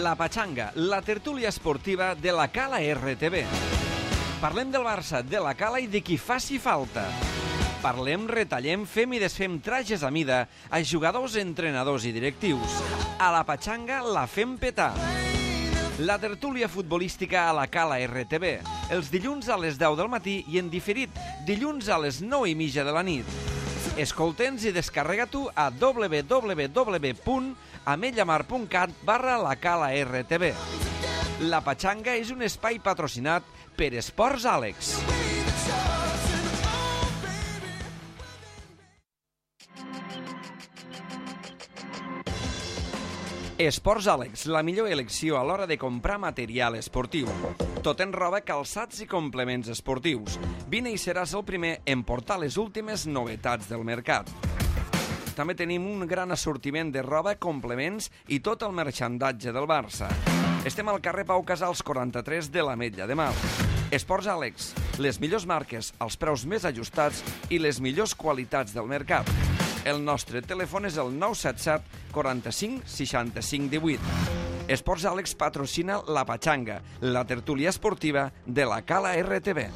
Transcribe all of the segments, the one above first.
La Pachanga, la tertúlia esportiva de la Cala RTV. Parlem del Barça, de la Cala i de qui faci falta. Parlem, retallem, fem i desfem trajes a mida a jugadors, entrenadors i directius. A la Pachanga la fem petar. La tertúlia futbolística a la Cala RTV, els dilluns a les 10 del matí i en diferit, dilluns a les 9:30 de la nit. Escolta'ns i descarrega-t'ho a www.ametlllamar.cat/la Cala RTV. La Pachanga és un espai patrocinat per Esports Àlex. Esports Àlex, la millor elecció a l'hora de comprar material esportiu. Tot en roba, calçats i complements esportius. Vine i seràs el primer en portar les últimes novetats del mercat. També tenim un gran assortiment de roba, complements i tot el marxandatge del Barça. Estem al carrer Pau Casals 43 de l'Ametlla de Mar. Esports Àlex, les millors marques, els preus més ajustats i les millors qualitats del mercat. El nostre telèfon és el 977 45 65 18. Esports Àlex patrocina La Pachanga, la tertúlia esportiva de la Cala RTV.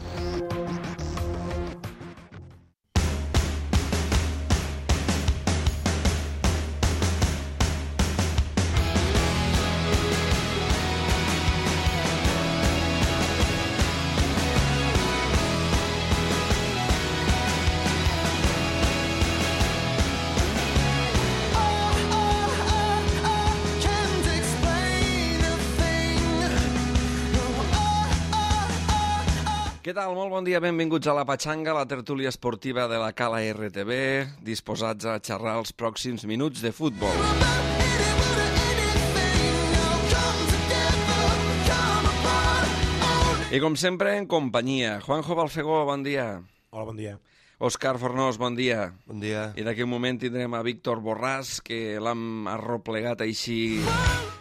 Què tal? Molt bon dia, benvinguts a La Pachanga, la tertúlia esportiva de la Cala RTV, disposats a xerrar els pròxims minuts de futbol. I com sempre, en companyia. Juanjo Balfegó, bon dia. Hola, bon dia. Òscar Fornós, bon dia. Bon dia. I d'aquí un moment tindrem a Víctor Borràs, que l'hem arroplegat així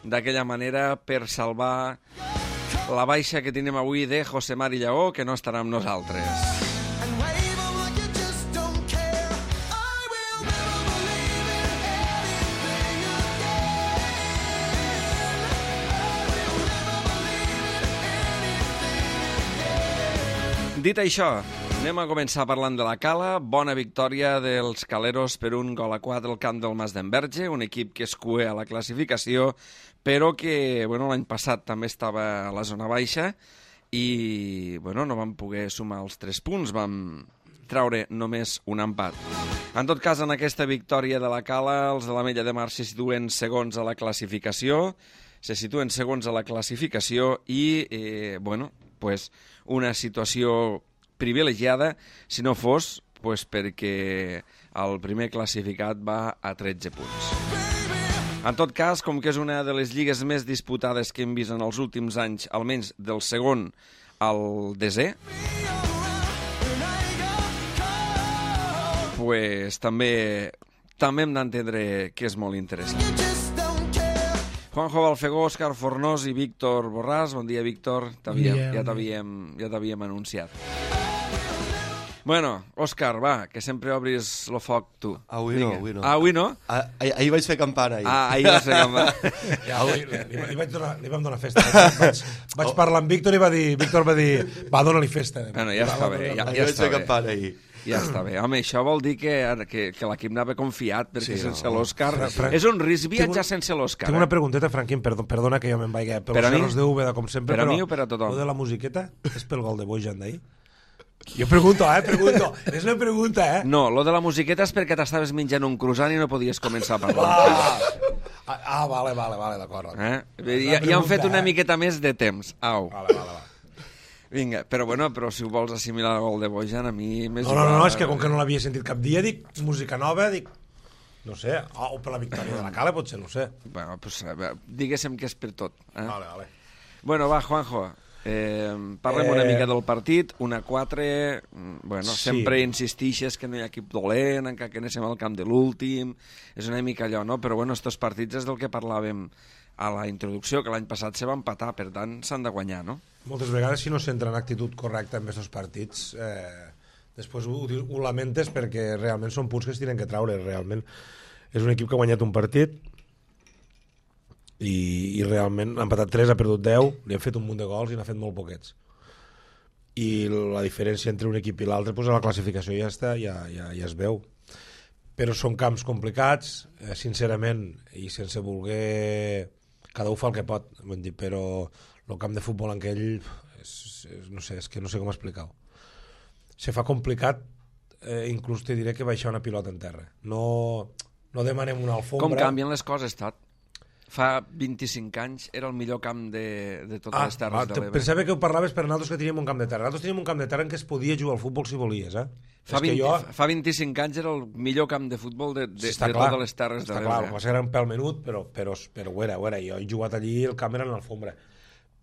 d'aquella manera per salvar la baixa que tenim avui de José Mari Lleó, que no estarà amb nosaltres. Dit això, anem a començar parlant de la Cala. Bona victòria dels caleros per 1-4 al camp del Mas d'Enverge, un equip que es cué a la classificació, però que l'any passat també estava a la zona baixa i no vam poder sumar els 3 punts, vam treure només un empat. En tot cas, en aquesta victòria de la Cala, els de l'Ametlla de Mar se situen segons a la classificació, i, una situació privilegiada, si no fos perquè el primer classificat va a 13 punts. En tot cas, com que és una de les lligues més disputades que hem vist en els últims anys, almenys del segon al desè, també hem d'entendre que és molt interessant. Juanjo Balfegó, Òscar Fornós i Víctor Borràs. Bon dia, Víctor. Ja t'havíem anunciat. Bueno, Òscar, va, que sempre obris el foc tu. Avui no. Avui no? Ahir vaig fer campana. Ahir vaig fer campana. Li vam donar festa. Vaig parlar amb Víctor i Víctor va dir, va, dona-li festa. Bueno, ja està bé. Ahir vaig fer campana ahir. Ja està bé. Home, això vol dir que l'equip anava confiat, perquè sense l'Òscar... És un risc viatjar sense l'Òscar. Tinc una pregunteta, Franquín, perdona que jo me'n vaig pels cerros de Úbeda, com sempre, per a mi o per a tothom? Lo de la musiqueta és pel gol de Bojan d'ahir? Jo pregunto. És una pregunta, No, lo de la musiqueta és perquè t'estaves menjant un croissant i no podies començar a parlar. Vale, d'acord. Ja han fet una miqueta més de temps. Au. Vale. Vinga, però si ho vols assimilar al gol de Bojan, a mi més igual. No, és que com que no l'havia sentit cap dia, dic, música nova, no sé, o per la victòria de la Cala, potser, no sé. Bueno, diguéssim que és per tot. Vale. Bueno, va, Juanjo, parlem una mica del partit, 1-4, sempre insistixes que no hi ha equip dolent, encara que anem al camp de l'últim, és una mica allò, no? Però estos partits és del que parlàvem a la introducció, que l'any passat se va empatar, per tant s'han de guanyar, no? Moltes vegades, si no s'entra en actitud correcta en aquests partits, després ho lamentes perquè realment són punts que es tenen que traure, realment. És un equip que ha guanyat un partit i realment ha empatat 3, ha perdut 10, li han fet un munt de gols i n'ha fet molt poquets. I la diferència entre un equip i l'altre, doncs a la classificació ja està, ja es veu. Però són camps complicats, sincerament, i sense voler... Cada un fa el que pot, però el camp de futbol en aquell, no sé, és que no sé com explicar-ho. Se fa complicat, inclús te diré que baixar una pilota en terra. No demanem una alfombra... Com canvien les coses, Tot? Fa 25 anys era el millor camp de totes les terres de l'Ebre. Pensava que ho parlaves per nosaltres que teníem un camp de terra. Nosaltres teníem un camp de terra en què es podia jugar al futbol si volies, Fa 25 anys era el millor camp de futbol de totes les terres de l'Ebre. Està clar, va ser un pèl menut, però ho era. Jo he jugat allí, el camp era en l'alfombra.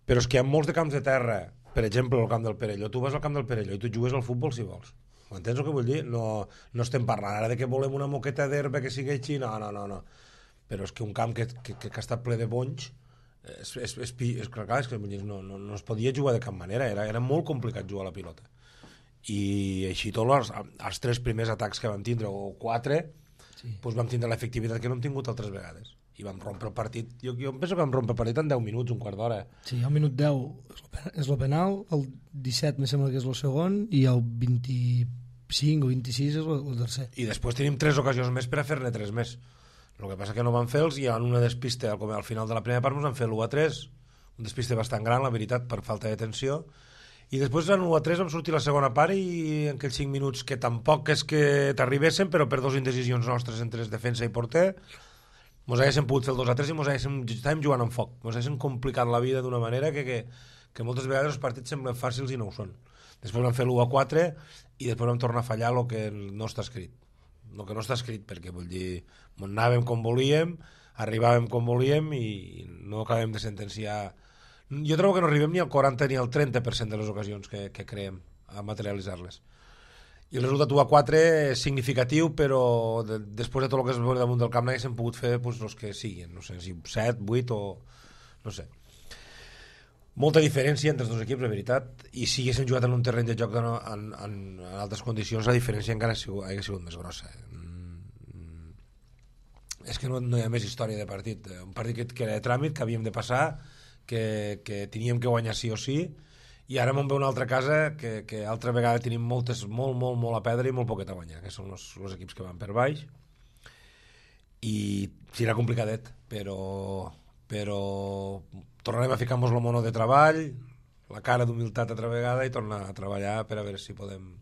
Però és que hi ha molts de camps de terra, per exemple, el camp del Perelló. Tu vas al camp del Perelló i tu jugues al futbol si vols. M'entens el que vull dir? No estem parlant ara de que volem una moqueta d'herba que sigui així, no. Però és que un camp que ha estat ple de bonys és clar, és que no es podia jugar de cap manera, era molt complicat jugar a la pilota. I així tots els 3 primers atacs que vam tindre, o 4, doncs vam tindre l'efectivitat que no hem tingut altres vegades. I vam rompre el partit, jo penso que vam rompre el partit en 10 minuts, un quart d'hora. Sí, el minut 10 és el penal, el 17 me sembla que és el segon, i el 25 o 26 és el tercer. I després tenim 3 ocasions més per a fer-ne 3 més. El que passa que no van fer-los i en una despiste al final de la primera part ens van fer l'1-3, un despiste bastant gran, la veritat, per falta de tensió, i després en 1-3 vam sortir la segona part i en aquells 5 minuts que tampoc és que t'arribessin, però per 2 indecisions nostres entre defensa i porter mos haguéssim pogut fer el 2-3 i estàvem jugant amb foc, mos haguéssim complicat la vida d'una manera que moltes vegades els partits semblen fàcils i no ho són. Després vam fer l'1-4 i després vam tornar a fallar el que no està escrit. El que no està escrit, perquè vull dir, anàvem com volíem, arribàvem com volíem i no acabem de sentenciar. Jo trobo que no arribem ni al 40 ni al 30% de les ocasions que creem a materialitzar-les. I el resultat 1-4 és significatiu, però després de tot el que es veu damunt del camp n'haguéssim pogut fer els que siguin, no sé, si 7, 8 o... no sé. Molta diferència entre els dos equips, la veritat, i si haguéssim jugat en un terreny de joc en altres condicions, la diferència encara hauria sigut més grossa. És que no hi ha més història de partit. Un partit que era de tràmit, que havíem de passar, que teníem que guanyar sí o sí, i ara m'en ve una altra casa que altra vegada tenim molt a perdre i molt poquet a guanyar, que són els equips que van per baix, i serà complicadet, però tornarem a ficar-nos el mono de treball, la cara d'humilitat altra vegada i tornar a treballar per a veure si podem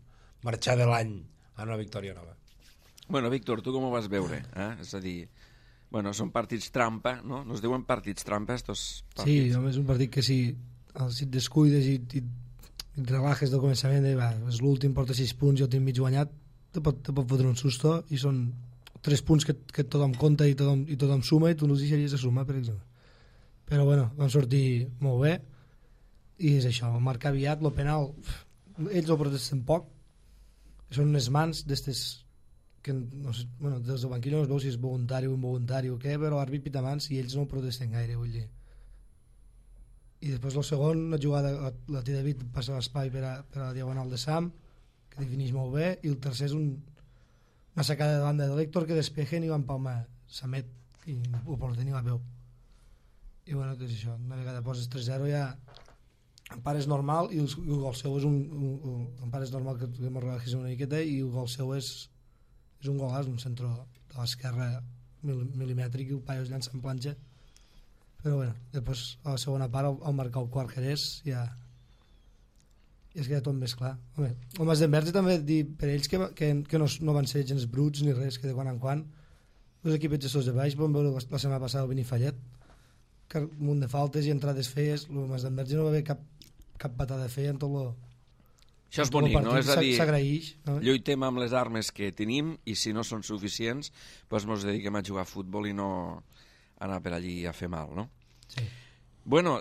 marxar de l'any a una victòria nova. Bueno, Víctor, tu com ho vas veure? És a dir, són partits trampa, no? Nos diuen partits trampa, estos partits. Sí, és un partit que si et descuides i et relajes del començament, és l'últim, porta 6 punts, jo tinc mig guanyat, te pot fotre un susto, i són 3 punts que tothom compta i tothom suma, i tu no els deixaries de sumar, per exemple. Però vam sortir molt bé, i és això, marcar aviat, el penal, ells el protesten poc, són unes mans d'estes que no sé, des del banquillo no es veu si és voluntari o involuntari o què, però l'àrbit pita mans i ells no el protesten gaire, vull dir. I després el segon, una jugada, la T. David passa l'espai per a la diagonal de Sam, que defineix molt bé, i el tercer és una sacada de banda de l'Héctor que despejen i va empalmar Samet i el porter ni la veu. I és això, una vegada poses 3-0 ja empar és normal i el gol seu és empar és normal que em relajis una miqueta i el gol seu és un golàs, un centre de l'esquerra milimètric i el paio es llança en planxa, però després a la segona part al marcar el quart Jerez ja es queda tot més clar. El Masdenverge també dir per ells que no van ser gens bruts ni res, que de quan en quan els equips gestors de baix vam veure la setmana passada el Benifallet, que un munt de faltes i entrades feies, el Masdenverge no va haver cap patada feia en tot el... Això és bonic, no? És a dir, s'agraeix, no? Lluitem amb les armes que tenim i si no són suficients, doncs ens dediquem a jugar a futbol i no anar per allí a fer mal, no? Sí. Bueno,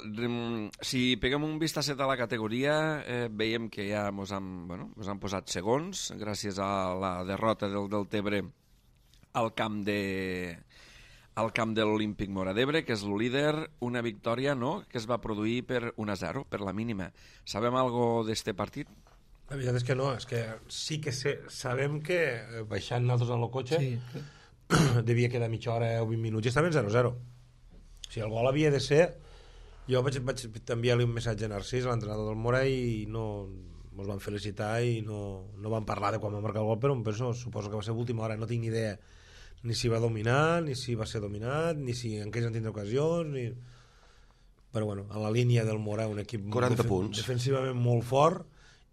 si peguem un vistacet a la categoria, veiem que ja ens han posat segons, gràcies a la derrota del Deltebre al camp de l'Olímpic Móra d'Ebre, que és el líder, una victòria que es va produir per 1-0, per la mínima. Sabem algo d'este partit? La veritat és que no, és que sí que sabem que baixant nosaltres en el cotxe devia quedar mitja hora o 20 minuts i estaven 0-0. sigui, el gol havia de ser... Jo vaig enviar-li un missatge a Narcís, a l'entrenador del Mora, i no ens van felicitar i no van parlar de quan va marcar el gol, però penso, suposo que va ser l'última hora, no tinc ni idea ni si va dominar, ni si va ser dominat, ni si en què han tindre ocasions, ni... Però bueno, a la línia del Mora, un equip 40 punts. Defensivament molt fort,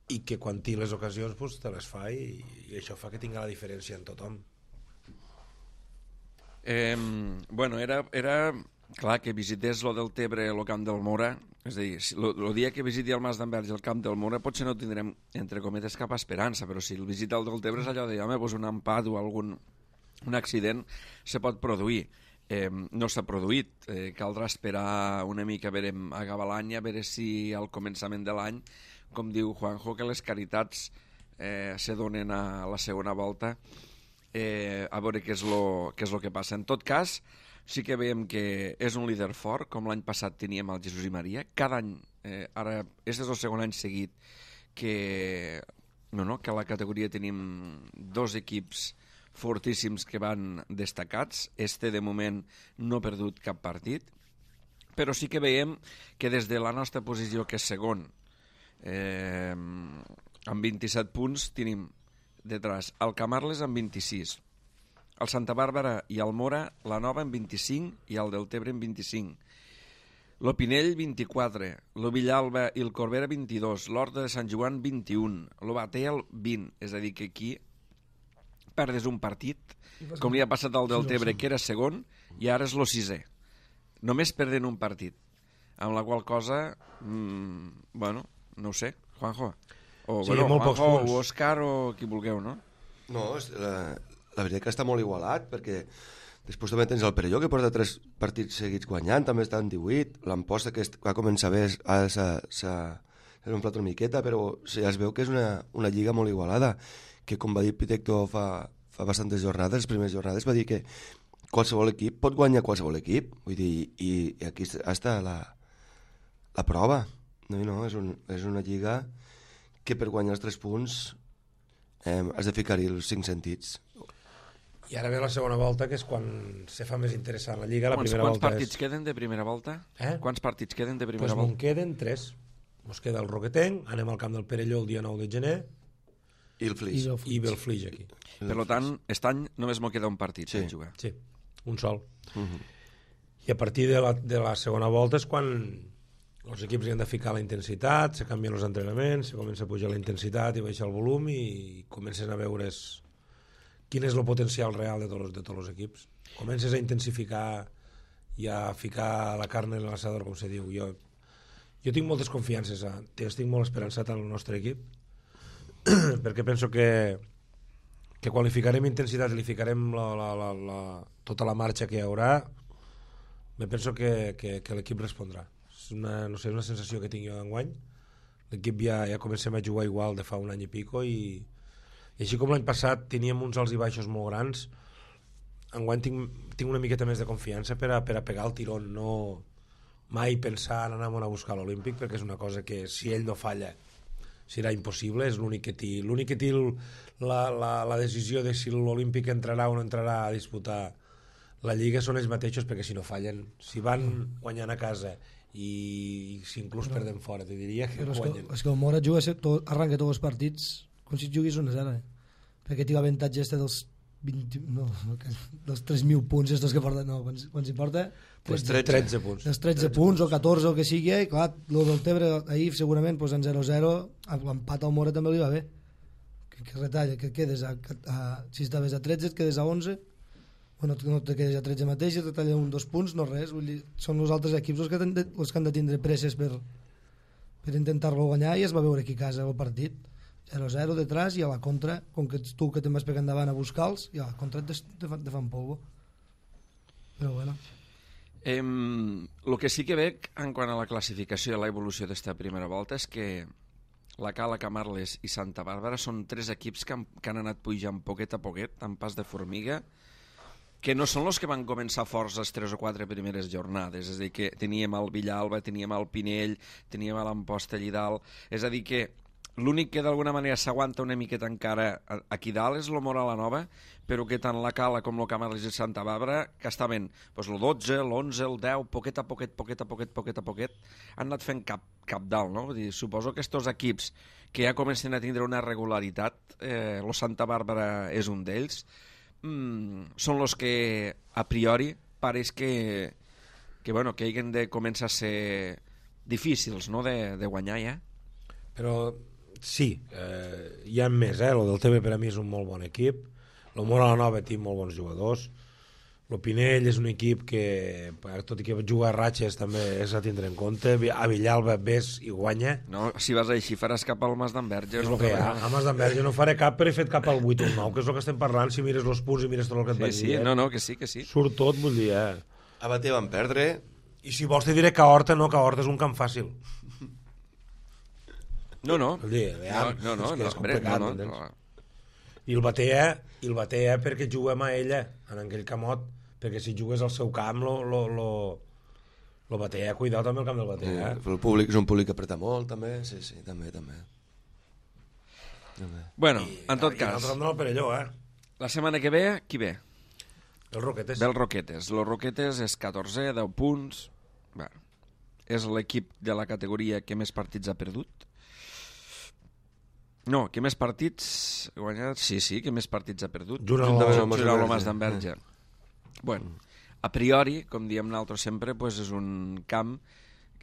i que quan té les ocasions pues, te les fa, i això fa que tingui la diferència en tothom. Bueno, era clar que visités lo del Tebre, el camp del Mora, és a dir, el dia que visiti el Mas d'Enverge el camp del Mora potser no tindrem, entre cometes, cap esperança, però si el visita el del Tebre és allò de, home, pues un empat o un accident se pot produir. No s'ha produït, caldrà esperar una mica a veure acabar l'any, a veure si al començament de l'any, com diu Juanjo, que les caritats se donen a la segona volta, a veure què és lo que passa. En tot cas, sí que veiem que és un líder fort, com l'any passat teníem el Jesús i Maria. Cada any, ara, este és el segon any seguit que a la categoria tenim 2 equips fortíssims que van destacats. Este, de moment, no ha perdut cap partit, però sí que veiem que des de la nostra posició, que és segon, amb 27 punts, tenim detrás el Camarles amb 26, el Santa Bàrbara i el Mora, la Nova, amb 25, i el del Tebre amb 25. Lo Pinell, 24, lo Villalba i el Corbera, 22, l'Horta de Sant Joan, 21, lo Batel, 20. És a dir, que aquí perdes un partit, com li ha passat al del Tebre, que era segon, i ara és lo 6è. Només perden un partit. Amb la qual cosa, bueno, no ho sé, Juanjo. O, sí, bueno, molt pocs Juanjo, punts. o Òscar, o qui vulgueu, no? No, la veritat que està molt igualat, perquè després també tens el Perelló, que porta 3 partits seguits guanyant, també està en 18, l'Amposta, que va començar bé, s'ha omplert una miqueta, però ja es veu que és una lliga molt igualada, que com va dir Pitecto fa bastantes jornades, les primeres jornades, va dir que qualsevol equip pot guanyar qualsevol equip, vull dir, i aquí està la prova. No, és una lliga que per guanyar els 3 punts has de ficar-hi els 5 sentits. I ara ve la segona volta, que és quan se fa més interessant la Lliga. Quants partits queden de primera volta? Quants partits queden de primera volta? Doncs queden 3. Ens queda el Roquetenc, anem al camp del Perelló el dia 9 de gener, I el Flix. i ve el Flix aquí. Per tant, aquest any només m'ho queda un partit per jugar. Sí, un sol. I a partir de la segona volta és quan els equips hi han de ficar la intensitat, se canvien els entrenaments, se comença a pujar la intensitat i baixar el volum, i comences a veure quin és el potencial real de tots els equips. Comences a intensificar i a ficar la carn en l'assador, com se diu. Jo tinc moltes confiances, estic molt esperançat en el nostre equip, perquè penso que quan li ficarem intensitat i li ficarem tota la marxa que hi haurà, me penso que l'equip respondrà. És una sensació que tinc jo d'enguany. L'equip ja comencem a jugar igual de fa un any i pico, i així com l'any passat teníem uns alts i baixos molt grans, enguany tinc una miqueta més de confiança per a pegar el tirón, no mai pensar en anar a buscar l'Olímpic, perquè és una cosa que si ell no falla serà impossible. És l'únic que té la decisió de si l'Olímpic entrarà o no entrarà a disputar la Lliga són ells mateixos, perquè si no fallen, si van guanyant a casa i si inclús perden fora, te diria que guanyen. És que el Mora arranca tots els partits com si juguis 1-0, perquè té l'avantatge dels 3.000 punts estos que porta, quan s'hi porta 13 punts. Els 13 punts o 14 o que sigui, i clar, el del Tebre ahir segurament en 0-0, l'empat al Mora també li va bé, que retalla, que quedes si estaves a 13 et quedes a 11, bueno, no te quedes a 13 mateix, i retalla 1-2 punts, no res, vull dir, són els altres equips els que han de tindre presses per intentar-lo guanyar, i es va veure aquí a casa el partit 0-0 detrás, i a la contra, com que ets tu que te'n vas pegar endavant a buscar-los, i a la contra te fan polvo. Però bueno. El que sí que veig en quant a la classificació i l'evolució d'esta primera volta és que la Cala, Camarles i Santa Bàrbara són 3 equips que han anat pujant poquet a poquet, amb pas de formiga, que no són els que van començar forts les 3 o 4 primeres jornades. És a dir, que teníem el Villalba, teníem el Pinell, teníem l'Amposta allí dalt. És a dir, que l'únic que d'alguna manera s'aguanta una miqueta encara aquí dalt és el Moral la Nova, però que tant la Cala com el Camales de Santa Bàrbara, que estaven el 12, l'11, el 10, poquet a poquet, han anat fent cap dalt, no? Vull dir, suposo que estos equips que ja comencen a tindre una regularitat, el Santa Bàrbara és un d'ells, són els que a priori pareix que hagin de començar a ser difícils, no?, de guanyar ja. Però sí, hi ha més, el del TB per a mi és un molt bon equip, el Moral la Nova té molt bons jugadors, el Pinell és un equip que, tot i que juga a ratxes, també és a tindre en compte, a Villalba ves i guanya. No, si vas així faràs cap al Mas d'Enverge. És el que hi ha, a Mas d'Enverge no faré cap, però he fet cap al 8 o el 9, que és el que estem parlant, si mires els punts i mires tot el que et vaig dir. Sí, que sí. Surt tot, vull dir, A Batea van perdre. I si vols te diré que Horta no, que Horta és un camp fàcil. No. Vull dir, és complicat, no. I el Batea perquè juguem a ella, en aquell camot, perquè si jugues al seu camp, lo Batea, cuidao també el camp del Batea. El públic és un públic que apreta molt, també, sí, també. Bueno, en tot cas... I l'altre no el Perelló, La setmana que ve, qui ve? Els Roquetes. Ve els Roquetes. Los Roquetes és 14, 10 punts. Bueno, és l'equip de la categoria que més partits ha perdut. No, que més partits ha guanyat? Sí, que més partits ha perdut. Juntament amb el Mas d'Enverge. Bueno, a priori, com diem nosaltres sempre, pues és un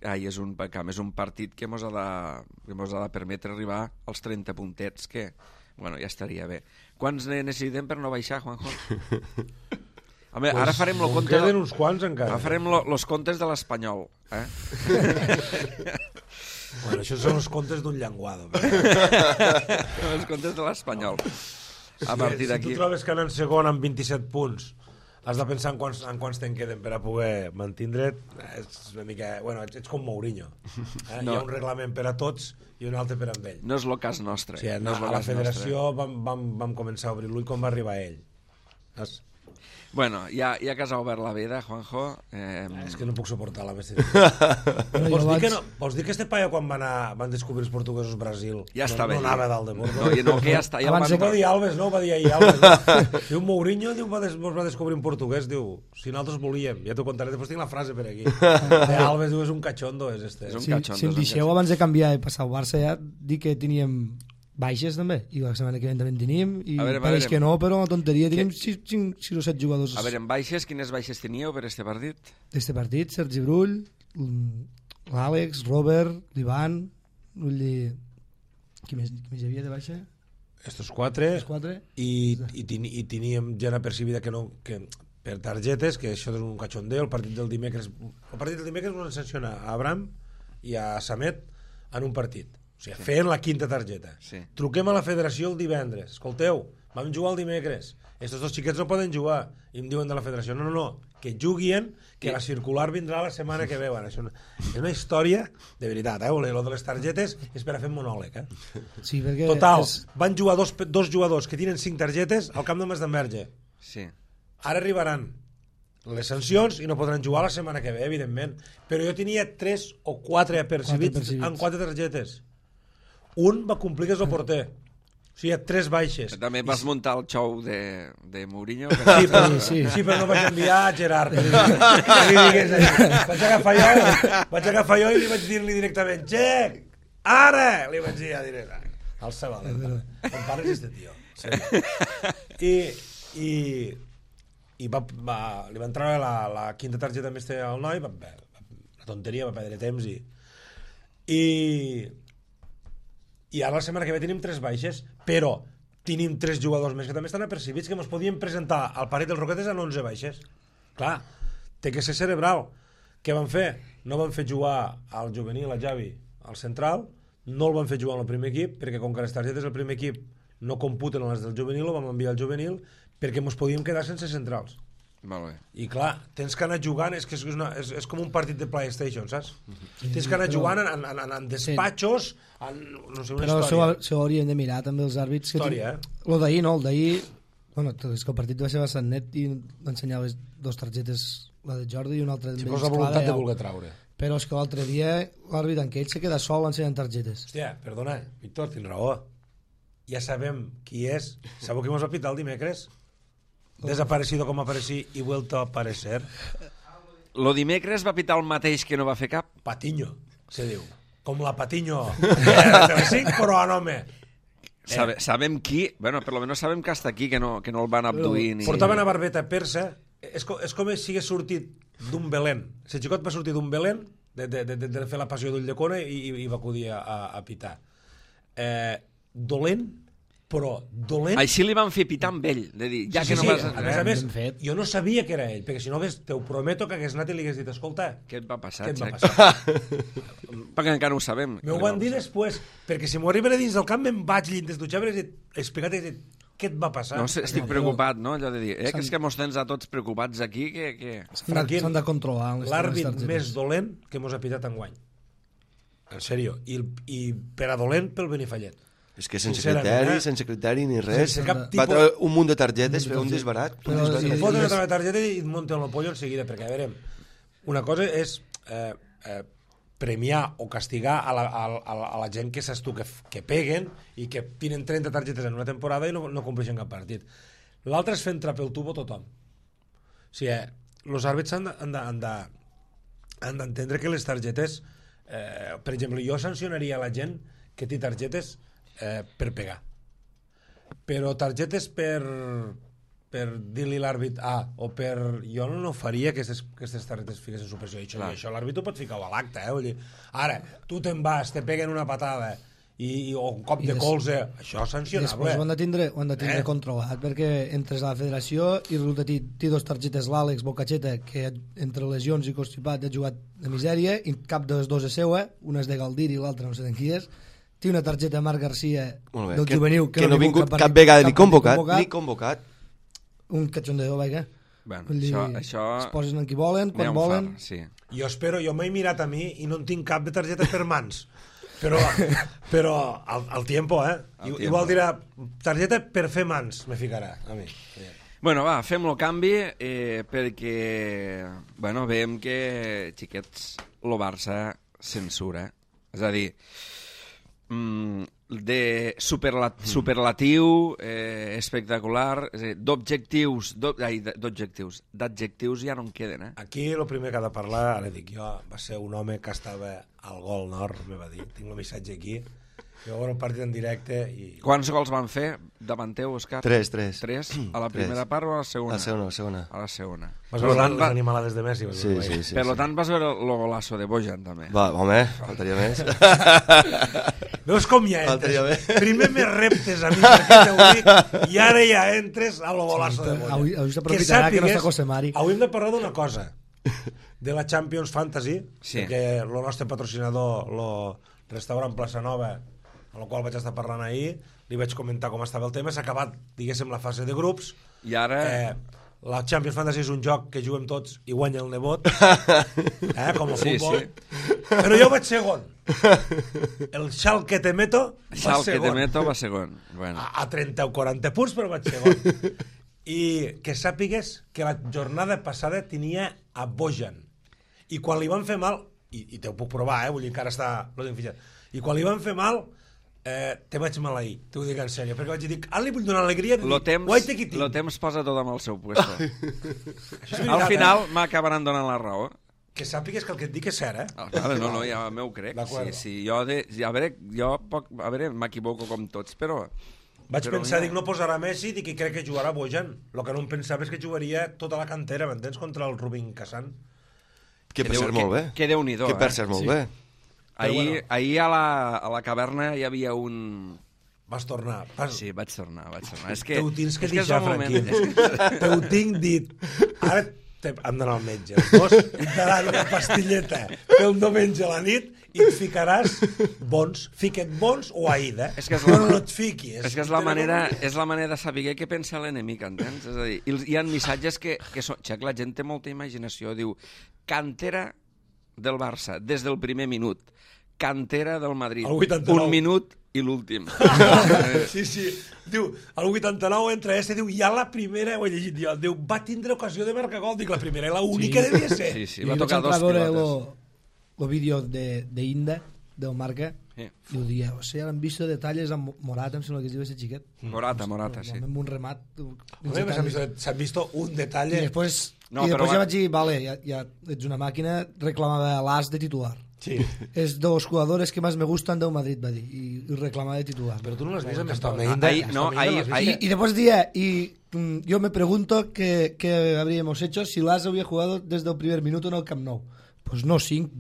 és un partit que mos ha de permetre arribar als 30 puntets, que, bueno, ja estaria bé. Quants necessitem per no baixar, Juanjo? Home, ara farem el compte... Queden uns quants encara. Ara farem els comptes de l'Espanyol. Bueno, això són els comptes d'un llenguado. Els comptes de l'Espanyol. A partir d'aquí... Si tu trobes que anant segon amb 27 punts has de pensar en quants te'n queden per a poder mantindre't, és una mica... Bueno, ets com Mourinho. No. Hi ha un reglament per a tots i un altre per a ell. No és el cas nostre. Sí, no a la federació vam començar a obrir-lo i quan va arribar ell. Bueno, ja que has obert la veda, Juanjo... És que no puc suportar la bèstia. Vols dir que este paio quan van descobrir els portuguesos Brasil ja estava no anava dalt de Bordo? No, que ja està. Abans ho va dir Alves, no? Ho va dir ahir Alves. Diu Mourinho, ens va descobrir un portuguès, diu, si nosaltres volíem, ja t'ho contaré, després tinc la frase per aquí. Alves diu, és un cachondo, és este. Si em deixeu abans de canviar i passar al Barça ja, dic que teníem baixes també, i la setmana que ve també en tenim, i pareix que no, però una tonteria, tenim 6 o 7 jugadors. A veure, en baixes, quines baixes teníeu per este partit? D'este partit, Sergi Brull, l'Àlex, Robert, l'Ivan, qui més hi havia de baixa? Estos 4, i teníem gent apercibida que per targetes, que això és un cachondeo. El partit del dimecres ens sanciona a Abraham i a Samet en un partit. O sigui, fent la quinta targeta. Sí. Truquem a la federació el divendres. Escolteu, vam jugar el dimecres. Estos dos xiquets no poden jugar. I em diuen de la federació, no, que juguin, que la circular vindrà la setmana que ve. Bueno, això és una història de veritat, Lo de les targetes és per a fer monòleg, Sí, perquè... Total, van jugar dos jugadors que tenen 5 targetes al camp de Mas d'Enverge. Sí. Ara arribaran les sancions i no podran jugar la setmana que ve, evidentment. Però jo tenia 3 o 4 apercibits amb 4 targetes. Un va complir que és el porter. O sigui, 3 baixes. També vas muntar el xou de Mourinho. Sí, però no vaig enviar a Gerard. Vaig agafar jo i li vaig dir-li directament, Xec, ara! Li vaig dir directament. Al Sabal. Com pares este tio. I li va entrar la quinta targeta més al noi, la tonteria, va perdre temps i ara la setmana que ve tenim 3 baixes, però tenim 3 jugadors més que també estan apercibits, que ens podien presentar al parell dels Roquetes en 11 baixes. Clar, té que ser cerebral. Què van fer? No van fer jugar al juvenil, a Javi, al central, no el van fer jugar en el primer equip, perquè com que les targetes del primer equip no computen les del juvenil, ho vam enviar al juvenil, perquè ens podíem quedar sense centrals. Molt bé. I clar, tens que anar jugant, és com un partit de PlayStation, saps? Tens que anar jugant en despatxos, no sé, una història. Però això hauríem de mirar també els àrbits. Història, Lo d'ahir no, el d'ahir... Bueno, és que el partit va ser bastant net i va ensenyar les 2 targetes, la de Jordi i una altra... Si fos la voluntat de voler traure. Però és que l'altre dia l'àrbit en Cage se queda sol ensenyant targetes. Hòstia, perdona, Víctor, tens raó. Ja sabem qui és. Sabeu qui mos va pitar el dimecres? Desaparecido com aparecí i vuelto a aparecer. Lo dimecres va pitar el mateix que no va fer cap? Patiño, se diu. Com la Patiño. Telecinc, però a nome. Sabem qui, bueno, per lo menos sabem que està aquí, que no el van abduir. Ni... Portaven a barbeta persa, és com si hagués sortit d'un Belén. El xicot va sortir d'un Belén, de fer la passió d'ull de cona i va acudir a pitar. Dolent, però dolent... Així li van fer pitar amb ell, de dir, ja Sí, que no sí, vas... a més, jo no sabia que era ell, perquè si no te ho prometo que hagués anat i li hagués dit, escolta, Què et va passar, què et va Xac? passar? Perquè encara no ho sabem. M'ho van dir després, perquè si m'ho arriben a dins del camp me'n vaig llit des dutxar, he explicat, he dit, què et va passar? No sé, estic preocupat, no? Allò de dir, que és que mos tens a tots preocupats aquí, que... Franquín, S'han de controlar. l'àrbit més dolent que mos ha pitat enguany. En sèrio. I per a dolent pel Benifallet. És que sense Sincerament, criteri ni res. Sense cap Va tipus... treure un munt de targetes, fer un desbarat. Però Un sí, Te desbarat. foten una targeta i et munten el pollo en seguida, perquè, a veure, una cosa és premiar o castigar a la gent que saps tu que peguen i que tenen 30 targetes en una temporada i no compleixen cap partit. L'altre és fer entrar pel tubo tothom. O sigui, els àrbits han d'entendre que les targetes, per exemple, jo sancionaria a la gent que té targetes per pegar, però targetes per dir-li l'àrbit o per... Jo no faria que aquestes targetes fiquessin supressió i això l'àrbit ho pot ficar a l'acte, vull dir, ara, tu te'n vas, te peguen una patada o un cop de colze, això és sancionable. Després ho han de tindre controlat, perquè entres a la federació i resulta que té dos targetes l'Àlex Bocacheta, que entre lesions i constipat ha jugat de misèria, i cap de les dues és seua, una és de Galdir i l'altra no sé d'en qui és. Té una targeta Marc Garcia del juvenil que no ha vingut cap vegada ni convocat. Un cachondeo, vaja. Bueno, Vull dir, això... es posen en qui volen, quan volen. Sí. Jo m'he mirat a mi i no en tinc cap de targeta per mans. Però al tiempo, Igual dirà, targeta per fer mans, me ficarà a mi. Bueno, va, fem el canvi perquè, bueno, veiem que, xiquets, el Barça censura. És a dir, de superlatiu, espectacular, d'objectius, d'adjectius ja no en queden, Aquí el primer que ha de parlar, ara dic jo, va ser un home que estava al Gol Nord, me va dir, tinc el missatge aquí, jo veure un partit en directe i... Quants gols van fer davant teu, Òscar? 3. 3? A la primera part o a la segona? A la segona. A la segona. Vas veure les animalades de Messi? Sí. Per tant, vas veure el golazo de Bojan, també. Va, home, faltaria més. Veus com ja entres? Primer me reptes a mi perquè t'ho dic i ara ja entres a lo golazo de Bojan. Avui s'aprofitarà que no està José Mari. Avui hem de parlar d'una cosa, de la Champions Fantasy, perquè el nostre patrocinador, el restaurant Plaça Nova, amb el qual vaig estar parlant ahir, li vaig comentar com estava el tema, s'ha acabat, diguéssim, la fase de grups. I ara... La Champions Fantasy és un joc que juguem tots i guanya el nebot, com el futbol. Sí. Però jo vaig segon. El Schalke te meto va segon. Bueno. A 30 o 40 punts, però vaig segon. I que sàpigues que la jornada passada tenia a Bojan. I quan li van fer mal, i te ho puc provar, vull dir que ara està... I quan li van fer mal... te vaig maleir, t'ho dic en sèrio, perquè vaig dir, li vull donar alegria, lo temps posa tot amb el seu puesto. Al final m'acabaran donant la raó. Que sàpigues que el que et dic és cert, No, ja m'ho crec. Sí, jo m'equivoco com tots, però... Vaig pensar, dic, no posarà Messi, dic que crec que jugarà Bojan. El que no em pensava és que jugaria tota la cantera, m'entens, contra el Rubin Kazan. Que per ser molt bé. Que Déu-n'hi-do, Que per ser molt bé. Ahir a la caverna hi havia un... Vas tornar. Sí, vaig tornar. És que ho tens que deixar, Franquín. Te ho tinc dit. Ara hem d'anar al metge. Els dos et daran una pastilleta pel diumenge a la nit i et ficaràs bons. Fica't bons o aïda. No et fiquis. És que és la manera de saber què pensa l'enemic, entens? És a dir, hi ha missatges que són... La gent té molta imaginació. Diu, cantera del Barça, des del primer minut. Cantera del Madrid, un minut i l'últim. Sí. Diu, al 89 entra diu, ja la primera, ho he llegit jo, diu, va tindre ocasió de marcar gol, dic, la primera i l'única devia ser. Sí, va tocar dos pilotes. el vídeo d'Inda, del Marca, Sí. i ho dia, o sigui, han vist detalles amb Morata, em sembla que es diu ese xiquet. Morata, sí. Amb un remat. S'han vist un detalle... I després, No, i després però ja vaig dir, vale, ja ets una màquina, reclamava l'as de titular. Sí. Es de los jugadores que más me gustan del Madrid, va dir, i reclamava de titular. Però tu no l'has vist amb esta Y después día, yo me pregunto qué habríamos hecho si Las hubiera jugado desde el primer minuto en el Camp Nou. Pues no 5,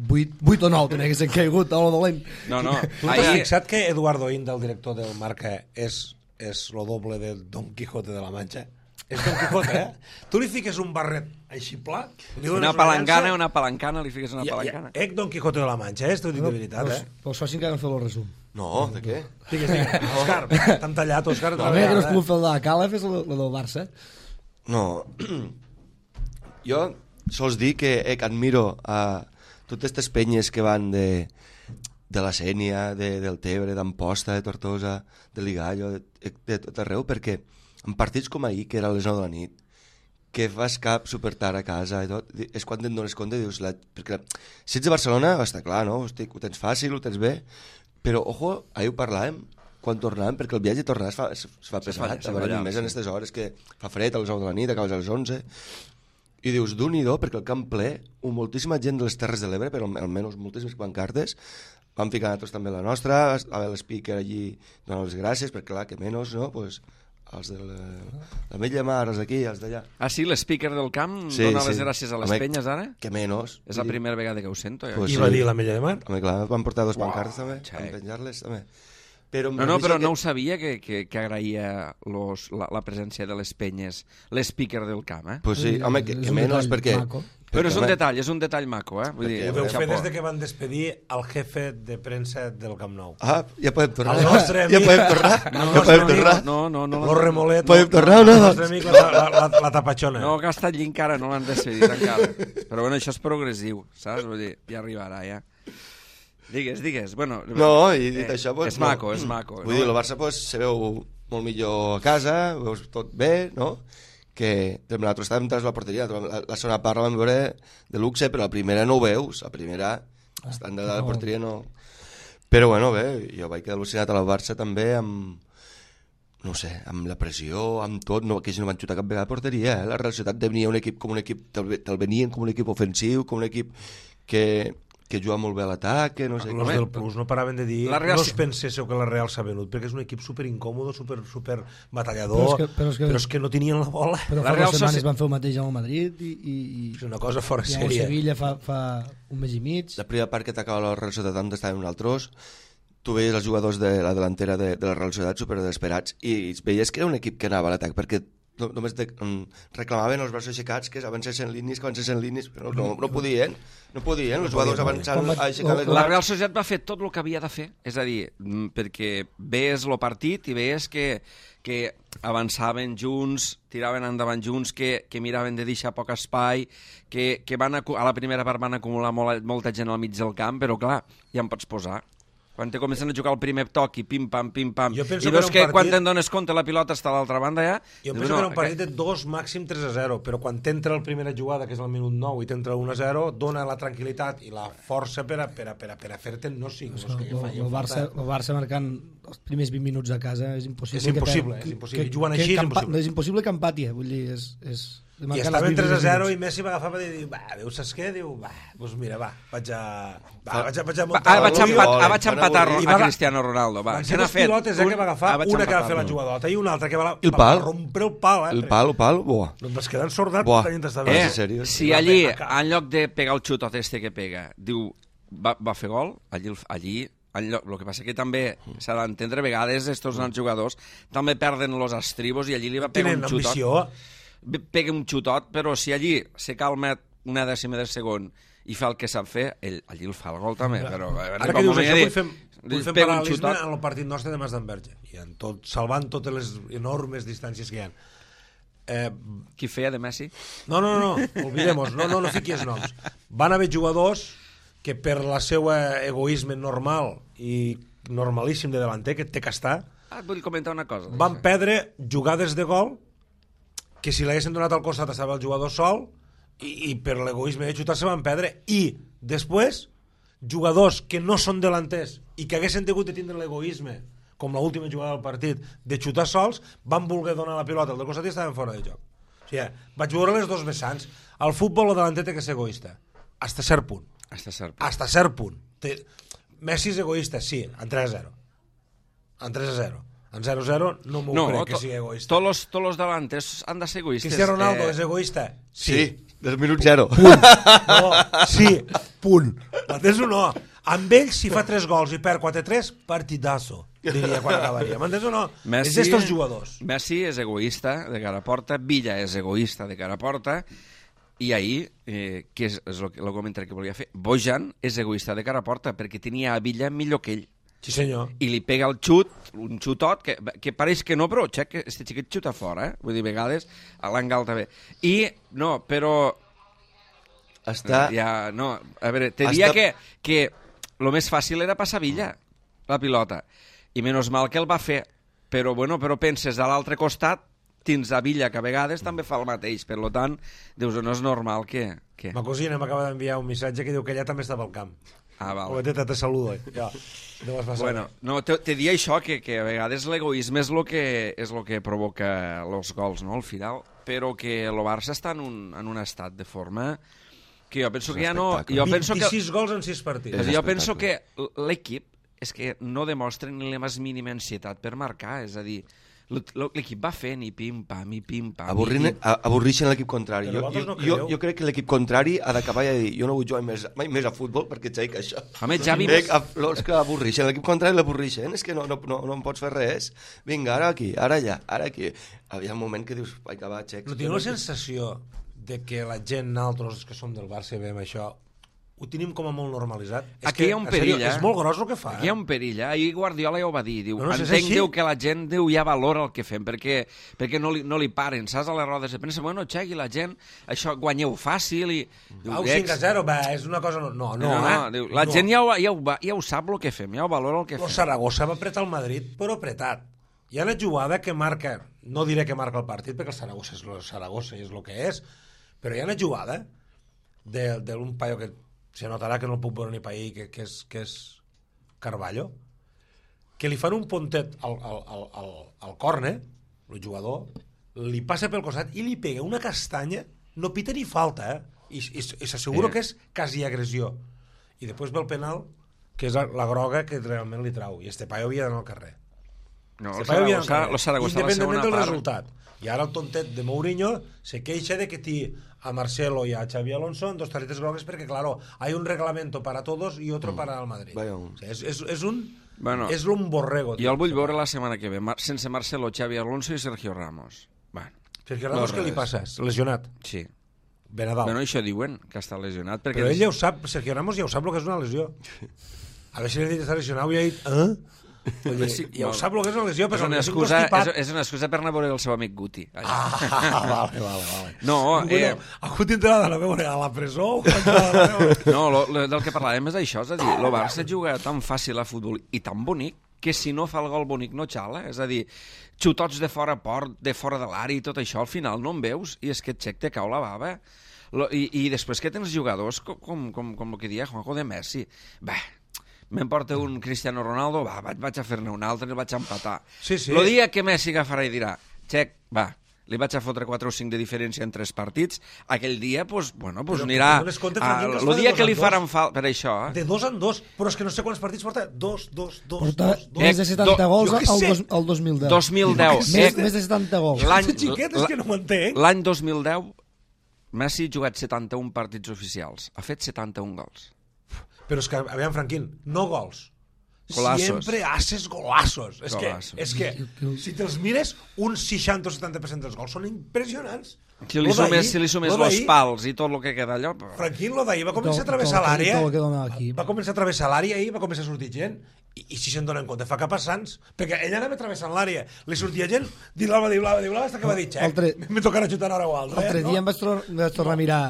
8 o 9 tenia que ser caigut a lo dolent. No. Tu t'has fixat que Eduardo Inda, el director del Marca, és lo doble de Don Quijote de la Mancha? És Don Quijote, Tu li fiques un barret així pla... Una palancana, li fiques una palancana. Don Quijote de la Mancha, T'ho dic de veritat, Però això sí que han fet el resum. No, de què? Digues. Òscar, t'han tallat, Òscar. A veure que no es pogut fer el de la Cala, fes el del Barça. No. Jo sols dir que admiro a totes aquestes penyes que van de la Sénia, del Tebre, d'Amposta, de Tortosa, de Ligallo, de tot arreu, perquè en partits com ahir, que era a les 9 de la nit, que fas cap super tard a casa i tot, és quan te'n dones compte i dius... Perquè si ets de Barcelona, està clar, no? Hosti, ho tens fàcil, ho tens bé, però, ojo, ahir ho parlàvem, quan tornàvem, perquè el viatge de tornar es fa pesat, més en aquestes hores que fa fred a les 9 de la nit, acabes a les 11, i dius, d'un-i-do, perquè el camp ple, moltíssima gent de les Terres de l'Ebre, però almenys moltíssimes pancartes, vam ficar nosaltres també la nostra, va haver l'speaker allí donant les gràcies, perquè clar, que menys, no?, pues, els de la Mella Mar, els d'aquí, els d'allà. Ah, sí, l'speaker del camp dona les gràcies a les penyes, ara? Que menys. És la primera vegada que ho sento. I va dir la Mella de Mar? Home, clar, van portar 2 pancartes també, van penjar-les també. Però no ho sabia que agraïa la presència de les penyes, l'speaker del camp, Pues sí, home, que menys, perquè... Però és un detall maco, Vull dir, ho deu fer des que van despedir el jefe de premsa del Camp Nou. Ah, ja podem tornar. El nostre amic... Ja podem tornar? Ja podem tornar? No. Lo Remolet. Podem tornar o no? El nostre amic, la tapachona. No, que ha estat allí encara, no l'han decidit encara. Però bueno, això és progressiu, saps? Vull dir, ja arribarà, ja. Digues. Bueno, no, i dit això... Pues, és maco. Vull dir, el Barça pues, se veu molt millor a casa, veus tot bé, no?, que nosaltres estàvem tras la porteria, la segona part la vam veure de luxe, però la primera no ho veus, la primera estant de la porteria no... Però bueno, bé, jo vaig quedar al·lucinat a la Barça també amb, no sé, amb la pressió, amb tot, que ells no van xutar cap vegada a porteria, La Real Societat venia un equip com un equip, te'l venien com un equip ofensiu, com un equip que juga molt bé a l'atac, que no sé... Els del Plus no paraven de dir no us penséssiu que la Real s'ha venut, perquè és un equip super incòmodo, super batallador, però és que no tenien la bola. Però fa 2 setmanes van fer el mateix amb el Madrid i és una cosa fora sèrie. I a Sevilla fa un mes i mig. La primera part que t'acaba la Real Societat on estaven nosaltres, tu veies els jugadors de la delantera de la Real Societat super desesperats i veies que era un equip que anava a l'atac, perquè només reclamaven els braços aixecats que avancessin línies, però no podien, els jugadors avançant aixecant les... La Real Societat va fer tot el que havia de fer, és a dir, perquè veies el partit i veies que avançaven junts, tiraven endavant junts, que miraven de deixar poc espai, que a la primera part van acumular molta gent al mig del camp, però clar, ja em pots posar. Quan te comencen a jugar el primer toc i pim-pam, i veus que quan te'n dones compte la pilota està a l'altra banda ja... Jo penso que era un partit de 2, màxim 3-0, però quan t'entra la primera jugada, que és el minut 9, i t'entra 1-0, dona la tranquil·litat i la força per a fer-te no 5. El Barça marcant els primers 20 minuts a casa és impossible. És impossible. Jugant així és impossible. És impossible que empati, vull dir, és... I estaven 3-0 i Messi va agafar i dir, saps què? Diu, doncs mira, vaig a muntar... Vaig empatar a Cristiano Ronaldo. Van ser 2 pilotes que va agafar, una que va fer la jugadota i una altra que va rompre el pal. El pal, buah. No et vas quedar ensordat tenint estar bé. Si allí, en lloc de pegar el xutot que pega, diu, va fer gol, allí el que passa que també s'ha d'entendre, a vegades estos grans jugadors també perden els estribos i allí li va pegar un xutot. Pega un xutot, però si allí se calma una dècima de segon i fa el que sap fer, allí el fa el gol també. Però, ara que dius això, vull fer paral·lelisme en el partit nostre de Mas d'Enverge, salvant totes les enormes distàncies que hi ha. Qui feia de Messi? No, olvidem-nos, no fiquis noms. Van haver jugadors que per la seva egoisme normal i normalíssim de delanter, que té que estar, vull comentar una cosa. Van perdre jugades de gol que si l'haguessin donat al costat estava el jugador sol i per l'egoisme de xutar se van perdre, i després jugadors que no són delanters i que haguessin tingut de tindre l'egoisme, com l'última jugada del partit, de xutar sols, van voler donar la pilota al del costat i estaven fora de joc. O sigui, vaig veure les dos vessants. Al futbol el delanter té que ser egoista. Hasta cert punt. Hasta cert punt. Messi és egoista, sí, en 3-0. En 3-0. En 0-0 no m'ho crec que sigui egoista. Tots los delanters han de ser egoistes. Cristiano Ronaldo és egoista? Sí, del minut 0. No, sí, punt. M'entens o no? Amb ell, si fa 3 gols i perd 4-3, partidazo, diria quan acabaria. M'entens o no? Messi, és d'estos jugadors. Messi és egoista de cara a porta, Villa és egoista de cara a porta, i ahir, que és el comentari que volia fer, Bojan és egoista de cara a porta perquè tenia a Villa millor que ell. Sí, senyor. I li pega el xut, un xutot, que pareix que no, però que este xiquet xuta fora, Vull dir, a vegades a l'engal també. I, no, però... Està... Ja, no, a veure, te dia que el més fàcil era passar Villa, la pilota. I menys mal que el va fer. Però, bueno, però penses a l'altre costat, tens a Villa, que a vegades també fa el mateix. Per tant, dius, no és normal que... Ma cosina m'acaba d'enviar un missatge que diu que ella també estava al camp. Ah, val. O te saludo. Ja. Bueno, no, te dia això, que a vegades l'egoisme és el que provoca els gols, no?, al final, però que el Barça està en un estat de forma que jo penso que ja no... 26 gols en 6 partits. Jo penso que l'equip és que no demostra ni la més mínima ansietat per marcar, és a dir, l'equip va fent i pim-pam, i pim-pam... Avorreixen l'equip contrari. Jo crec que l'equip contrari ha d'acabar i dir jo no vull jugar mai més a futbol perquè xaic això. Home, Javi... Els que avorreixen l'equip contrari l'avorreixen, és que no em pots fer res. Vinga, ara aquí, ara allà, ara aquí. Hi ha un moment que dius, vaig acabar, xec. No tinc la sensació de que la gent, nosaltres que som del Barça i veiem això, ho tenim com a molt normalitzat. Aquí hi ha un perill, És molt gros el que fa. Aquí hi ha un perill, Ahir Guardiola ja ho va dir. Diu, no, entenc que la gent ja valora el que fem, perquè no li paren, saps, a les rodes de premsa, bueno, xegui, la gent, això guanyeu fàcil i... Diu, 5-0, és una cosa... No, diu, la gent ja ho sap el que fem, ja ho valora el que fem. El Saragossa va apretar el Madrid, però apretat. Hi ha una jugada que marca, no diré que marca el partit, perquè el Saragossa és el Saragossa i és el que és, però hi ha una jugada d'un paio que se notarà que no el puc veure ni per ahir, que és Carballo, que li fan un pontet al córner, el jugador, li passa pel costat i li pega una castanya, no pita ni falta, i s'assegura que és quasi agressió. I després ve el penal, que és la groga que realment li trau, i este paio havia d'anar al carrer. No, el Saragossa independentment del resultat. I ara el tontet de Mourinho se queixa de que té a Marcelo y a Xavi Alonso en 2 tarjetas grogues perquè, claro, hay un reglamento para todos y otro para el Madrid. O sea, és un borrego. Jo el vull veure la setmana que ve, sense Marcelo, Xavi Alonso i Sergio Ramos. Sergio Ramos, què li passa? Lesionat? Sí. Benadal. Bueno, això diuen, que està lesionat. Però ell ja ho sap, Sergio Ramos ja ho sap el que és una lesió. A veure si li ha dit que està lesionat i ha dit... Ja ho sap el que és una lesió, però és una excusa per anar a veure el seu amic Guti. Vale. No, a Guti entrarà a veure a la presó? No, del que parlàvem és això, és a dir, el Barça juga tan fàcil a futbol i tan bonic que si no fa el gol bonic no xala, és a dir, xutots de fora port, de fora de l'àrea i tot això, al final no en veus i és que et xec te cau la bava. I després que tens jugadors com el que dia Juanjo de Messi, m'emporta un Cristiano Ronaldo, vaig a fer-ne un altre i el vaig empatar. El dia que Messi agafarà i dirà, xec, li vaig a fotre 4 o 5 de diferència en 3 partits, aquell dia, anirà... El dia que li faran falta, per això... De 2 en 2, però és que no sé quants partits porta. 2. Porta més de 70 gols al 2010. 2010. Més de 70 gols. Xiquet, és que no m'entenc. L'any 2010, Messi ha jugat 71 partits oficials. Ha fet 71 gols. Però és que, aviam, Franquín, no gols. Golazos. Siempre haces golazos. És que si te'ls mires, un 60 o 70% dels gols són impressionants. Si li sumes los pals i tot el que queda allò... Franquín, lo d'ahir va començar a travessar l'àrea. Va començar a travessar l'àrea i va començar a sortir gent. I si se'n donen compte, fa cap a Sants. Perquè ell anava travessant l'àrea. Li sortia gent, diu-la, hasta que va dir, xec, me tocarà xutar ara o altre. L'altre dia em vaig tornar a mirar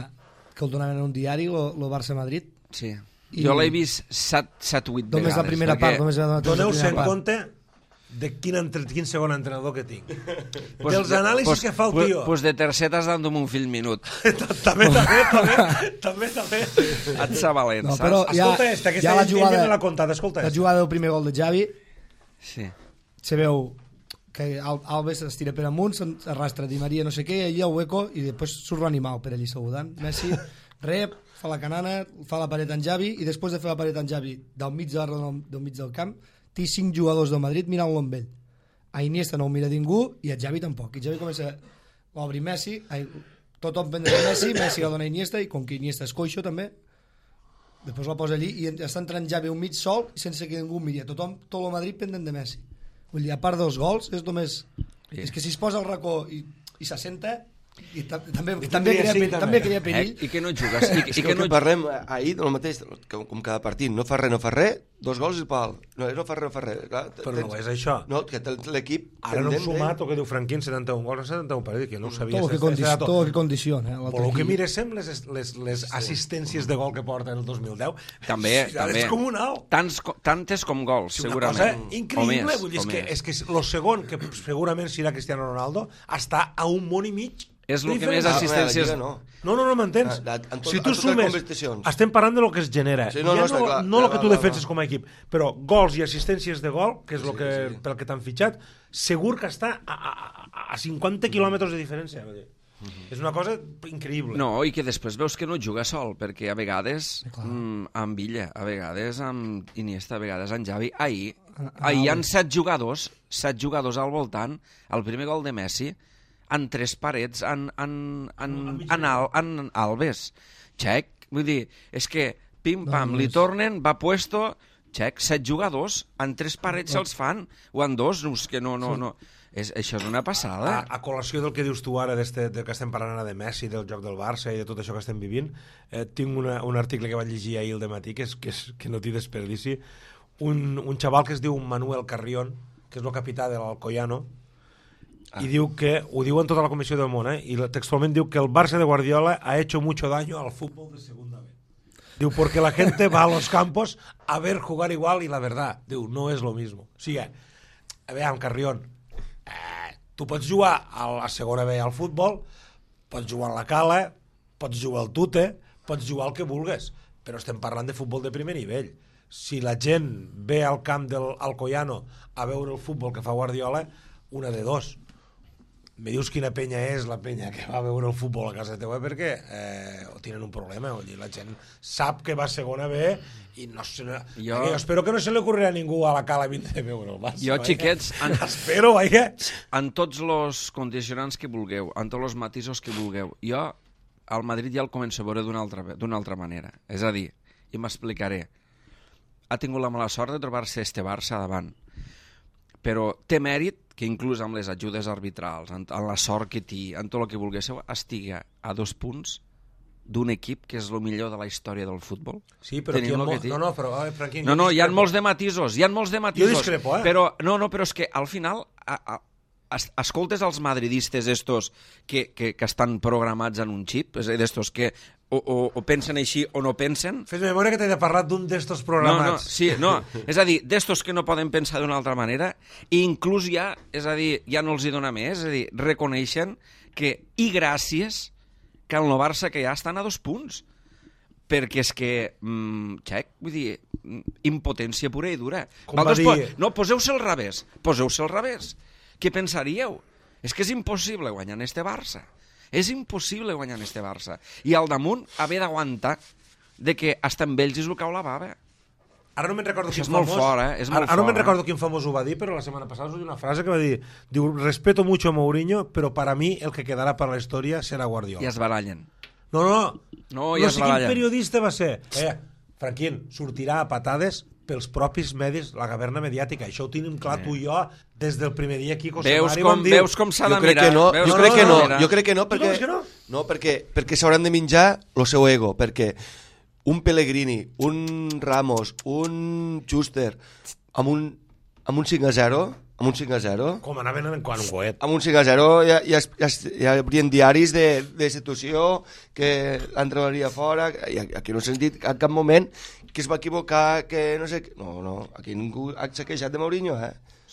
que el donaven en un diari, el Barça-Madrid. Sí. Jo l'he vist 7-8 vegades. Només la primera part. Doneu-se en compte de quin segon entrenador que tinc. Dels anàlisis que fa el tio. Pues de tercer t'has dando un fill minut. També. Et sabalent, No, saps? però Escolta, aquesta la jugada, me l'ha contat, escolta. la jugada del primer gol de Xavi, Sí. se veu que Alves es tira per amunt, s'arrastra Di Maria no sé què, allà hueco, i després surt l'animal per allí saludant. Messi rep, fa la canana, fa la paret en Xavi, i després de fer la paret en Xavi del mig del camp, té 5 jugadors del Madrid mirant-lo amb ell. A Iniesta no ho mira ningú, i a Xavi tampoc. I Xavi comença a obrir Messi, tothom prendre de Messi la dona a Iniesta, i com que Iniesta és coixo també, després la posa allí, i està entrant Xavi un mig sol, sense que ningú miri. Tot el Madrid pendent de Messi. Vull dir, a part dels gols, és només... Sí. És que si es posa al racó i s'assenta, i també crea perill. I que no jugues. És que el que parlem ahir del mateix, com cada partit, no fa res, 2 gols i pal. No fa res. Clar, Però no és això. No, que l'equip... Ara no hem sumat el que diu Franquín, 71 gols, 71 partits, que no ho sabia. Tot el que condiciona. Però el que miréssim les assistències de gol que porta en el 2010, També. és comunal. Tantes com gols, segurament. Una cosa increïble, vull dir, és que el segon, que segurament serà Cristiano Ronaldo, està a un món i mig. És el que més assistències... No, m'entens? Si tu sumes, competicions. estem parlant de lo que es genera. Sí, no, clar, no el que tu clar, defenses com a equip, però gols i assistències de gol, que és pel que t'han fitxat, segur que està a 50 quilòmetres de diferència. És una cosa increïble. No, i que després veus que no juga sol, perquè a vegades amb Villa, a vegades amb Iniesta, a vegades amb Xavi. Ahir hi ha 7 jugadors al voltant, el primer gol de Messi, en 3 parets, en Alves. Xec, vull dir, és que pim-pam, li tornen, va puesto, xec, 7 jugadors, en 3 parets se'ls fan, o en 2, és que no. Això és una passada. A col·lació del que dius tu ara, del que estem parlant ara de Messi, del joc del Barça i de tot això que estem vivint, tinc un article que vaig llegir ahir al dematí, que no té desperdici, un xaval que es diu Manuel Carrión, que és el capità de l'Alcoyano, y diu que, ho diu en tota la comissió del món, y textualment diu que el Barça de Guardiola ha hecho mucho daño al fútbol de segunda B. Diu, porque la gente va a los campos a ver jugar igual y la verdad, diu, no es lo mismo. O sigui, a veure, Carrión, tu pots jugar a la segona B al futbol, pots jugar a la cala, pots jugar al tute, pots jugar al que vulgues, però estem parlant de futbol de primer nivell. Si la gent ve al camp del Alcoyano a veure el futbol que fa Guardiola, una de dos. Me dius quina penya és la penya que va veure el futbol a casa teva, perquè tenen un problema. La gent sap que va a segona B i no sé, jo espero que no se li ocorrirà a ningú a la cala 20 de veure el Barça. Jo, xiquets, espero, en tots els condicionants que vulgueu, en tots els matisos que vulgueu, jo al Madrid ja el començo a veure d'una altra manera. És a dir, i m'explicaré, ha tingut la mala sort de trobar-se este Barça davant, però té mèrit que inclús amb les ajudes arbitrals, en la sort que té, en tot el que vulguéssiu, estiga a 2 punts d'un equip que és el millor de la història del futbol. Sí, però aquí Franquín, hi ha molts de matisos, Jo discrepo, però és que al final escoltes els madridistes estos que estan programats en un xip, és a dir, d'estos que o pensen així o no pensen. Fes memòria que t'he de parlar d'un d'estos programats. És a dir, d'estos que no poden pensar d'una altra manera, i inclús ja no els hi dona més, és a dir, reconeixen que, i gràcies, que el Barça que ja estan a 2 punts. Perquè és que, xec, vull dir, impotència pura i dura. No, poseu-se al revés. Què pensaríeu? És que és impossible guanyar en este Barça. És impossible guanyar en este Barça. I al damunt haver d'aguantar de que hasta amb ells és el cau la bava. Ara no me'n recordo quin famós... Ara no me'n recordo quin famós ho va dir, però la setmana passada us una frase que va dir, diu, respeto mucho a Mourinho, però para mí el que quedarà per la història serà Guardiola. I es barallen. No sé quin periodista va ser. Franquín, sortirà a patades pels propis medis, la caverna mediàtica. Això ho tenim clar tu i jo des del primer dia aquí. Veus com s'ha de mirar. Jo crec que no, perquè s'hauran de menjar el seu ego, perquè un Pellegrini, un Ramos, un Schuster, amb un 5-0... Amb un 5-0... Com anaven en un coet. Amb un 5-0 hi haurien diaris de situació que l'entrenaria fora, i aquí no he sentit en cap moment que es va equivocar, que no sé... No, aquí ningú ha queixat de Mourinho,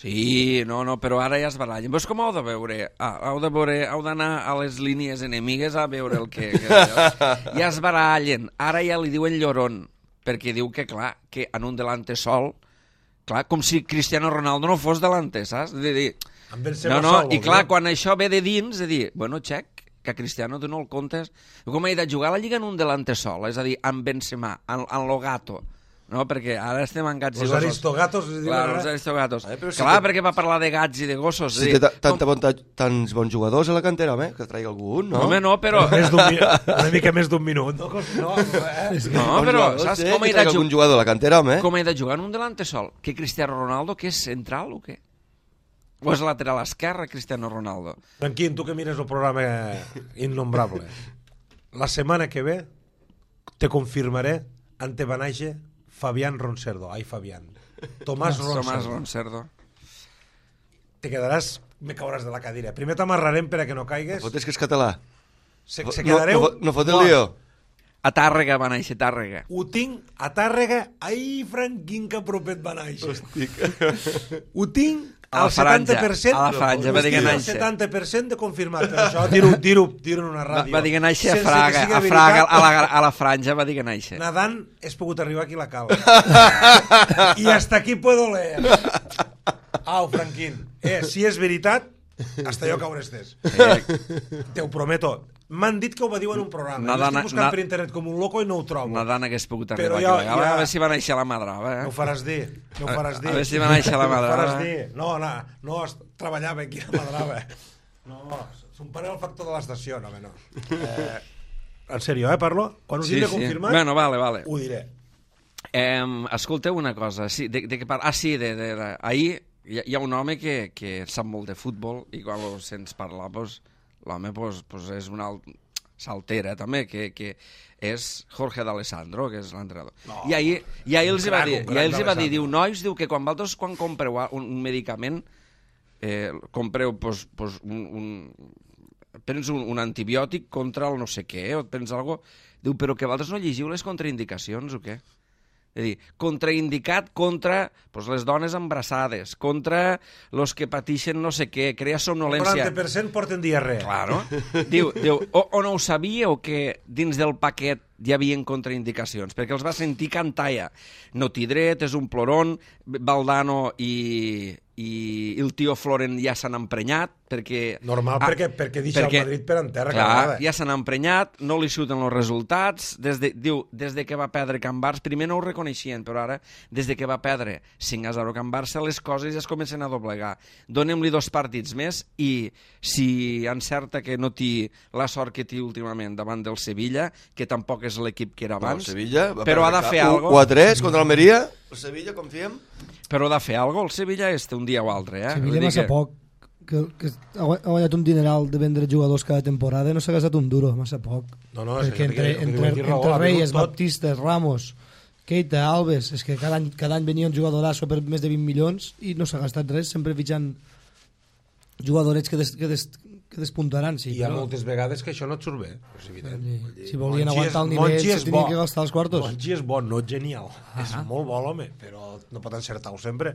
Sí, no, però ara ja es barallen. Vos com heu de veure? Heu d'anar a les línies enemigues a veure el que ja es barallen. Ara ja li diuen llorón, perquè diu que, clar, que en un delante sol, clar, com si Cristiano Ronaldo no fos delante, saps? I clar, quan això ve de dins, de dir, bueno, Check, que a Cristiano tu no el comptes, com he de jugar a la Lliga en un delante sol, és a dir, amb Benzema, en lo gato, no? Perquè ara estem en gats i gossos. Els aristogatos. Clar, els aristogatos. Clar, perquè va parlar de gats i de gossos. Si té tants bons jugadors a la cantera, home, que traigui algun, no? Home, no, però... Una mica més d'un minut. No, però saps com he de algun jugador a la cantera, home? Com he de jugar en un delante sol? Que Cristiano Ronaldo, que és central o què? O és lateral esquerre, Cristiano Ronaldo? Franquín, tu que mires el programa Innombrable, la setmana que ve te confirmaré ante Banaixe Fabián Roncerdo. Ai, Fabián. Tomàs Roncerdo. Te quedaràs... Me cauràs de la cadira. Primer t'amarrarem per a que no caigues. Fotes que és català. Se quedareu... No fot el lío. A Tàrrega va néixer, Tàrrega. Ho tinc a Tàrrega. Ai, Franquín, que propet va néixer. Ho tinc al 70%. A la franja, va dir que néixer. El 70% de confirmat. Per això dir-ho en una ràdio. Va dir que néixer a Fraga, a la franja va dir que néixer. Nadant has pogut arribar aquí a la cala. I hasta aquí puedo leer. Au, Franquín. Si és veritat, hasta jo caure estés. Te ho prometo. M'han dit que ho va dir en un programa. Jo estic buscant per internet com un loco i no ho trobo. Nadant hagués pogut arribar aquí a la cala. A veure si va néixer la Madrava. No ho faràs dir. A veure si va néixer la Madrava. No, treballava aquí a la Madrava. No, son pare el factor de l'estació. No. En sèrio, parlo? Quan us diré confirmat, bueno, vale. ho diré. Escolteu una cosa. Sí, ahir hi ha un home que sap molt de futbol i quan lo sents parlar, l'home és un alt saltera també, que és Jorge D'Alessandro, que és l'entrenador. I ahir els va dir, diu, nois, diu que quan vosaltres compreu un medicament, compreu, prens un antibiòtic contra el no sé què, o et prens alguna cosa, diu, però que vosaltres no llegiu les contraindicacions o què? És a dir, contraindicat contra les dones embarassades, contra els que pateixen no sé què, crea somnolència. El 40% porten diarrea. Claro. Diu, o no ho sabíeu que dins del paquet hi havia contraindicacions? Perquè els va sentir cantar ja. Notidret, és un ploron, Valdano i el tio Floren ja s'han emprenyat, perquè... Normal, perquè deixa el Madrid per en terra. Clar, ja s'han emprenyat, no li surten els resultats, des de que va perdre Can Barça, primer no ho reconeixien, però ara, des de que va perdre 5-0 Can Barça, les coses ja es comencen a doblegar. Donem-li 2 partits més i si encerta que no té la sort que té últimament davant del Sevilla, que tampoc és l'equip que era abans, però ha de fer alguna cosa. 4-3 contra Almeria, el Sevilla, confiem? Però ha de fer alguna cosa, el Sevilla un dia o altre. Sevilla massa poc, que ha guanyat un dineral de vendre jugadors cada temporada i no s'ha gastat un duro, massa poc. No, perquè entre Reyes, Baptista, Ramos, Keita, Alves, és que cada any venia un jugadorasso per més de 20 milions i no s'ha gastat res, sempre fitxant jugadorets que despuntaran. Sí, hi ha moltes vegades que això no et surt bé, és evident. Si volien aguantar el nivell, se tenien que gastar els quartos. Monchi és bo, no genial. És molt bo l'home, però no pot encertar-ho sempre.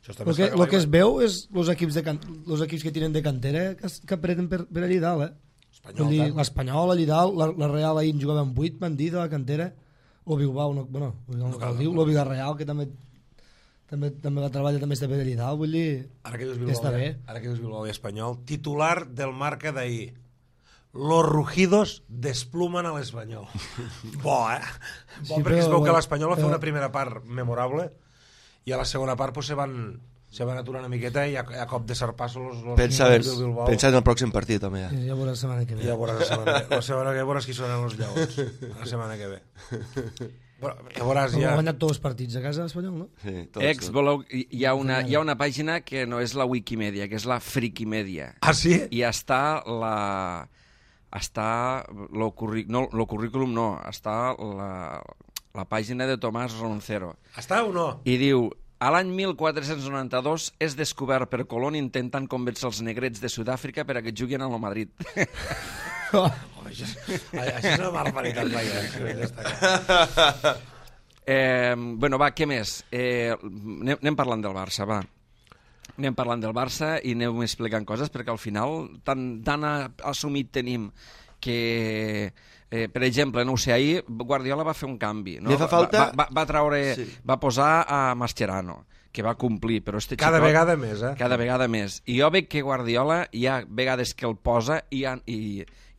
El que es veu és els equips que tiren de cantera que apreten per allà dalt. L'Espanyol allà dalt, la Real ahir en jugava amb 8, van dir, de la cantera, o Bilbao, no cal dir, o Villarreal, que també va treballar, també està per allà dalt, vull dir, està bé. Ara que dius Bilbao i Espanyol, titular del Marca d'ahir: los rugidos despluman a l'Espanyol. Bo, Bo, perquè es veu que l'Espanyol va fer una primera part memorable i a la segona part se van aturar una miqueta i a cop de sarpasso pensa en el pròxim partit també. Ja veuràs la setmana que ve. La setmana que ve veuràs qui sonen els lleons. La setmana que ve. Veuràs ja... Ha guanyat tots els partits a casa l'Espanyol, no? Sí, hi ha una pàgina que no és la Wikimedia, que és la Frikimedia. Ah, sí? I està el currículum no, està la pàgina de Tomàs Roncero. Està o no? I diu, a l'any 1492 és descobert per Colón intentant convèncer els negrets de Sud-àfrica per a que juguin al Madrid. Això és una barbaritat. Bueno, va, què més? Anem parlant del Barça, va. Anem parlant del Barça i aneu explicant coses, perquè al final tan assumit tenim que, per exemple, no ho sé, ahir Guardiola va fer un canvi, no? Li fa falta... Va treure, va posar a Mascherano, que va complir, però cada vegada més, Cada vegada més. I jo veig que Guardiola hi ha vegades que el posa i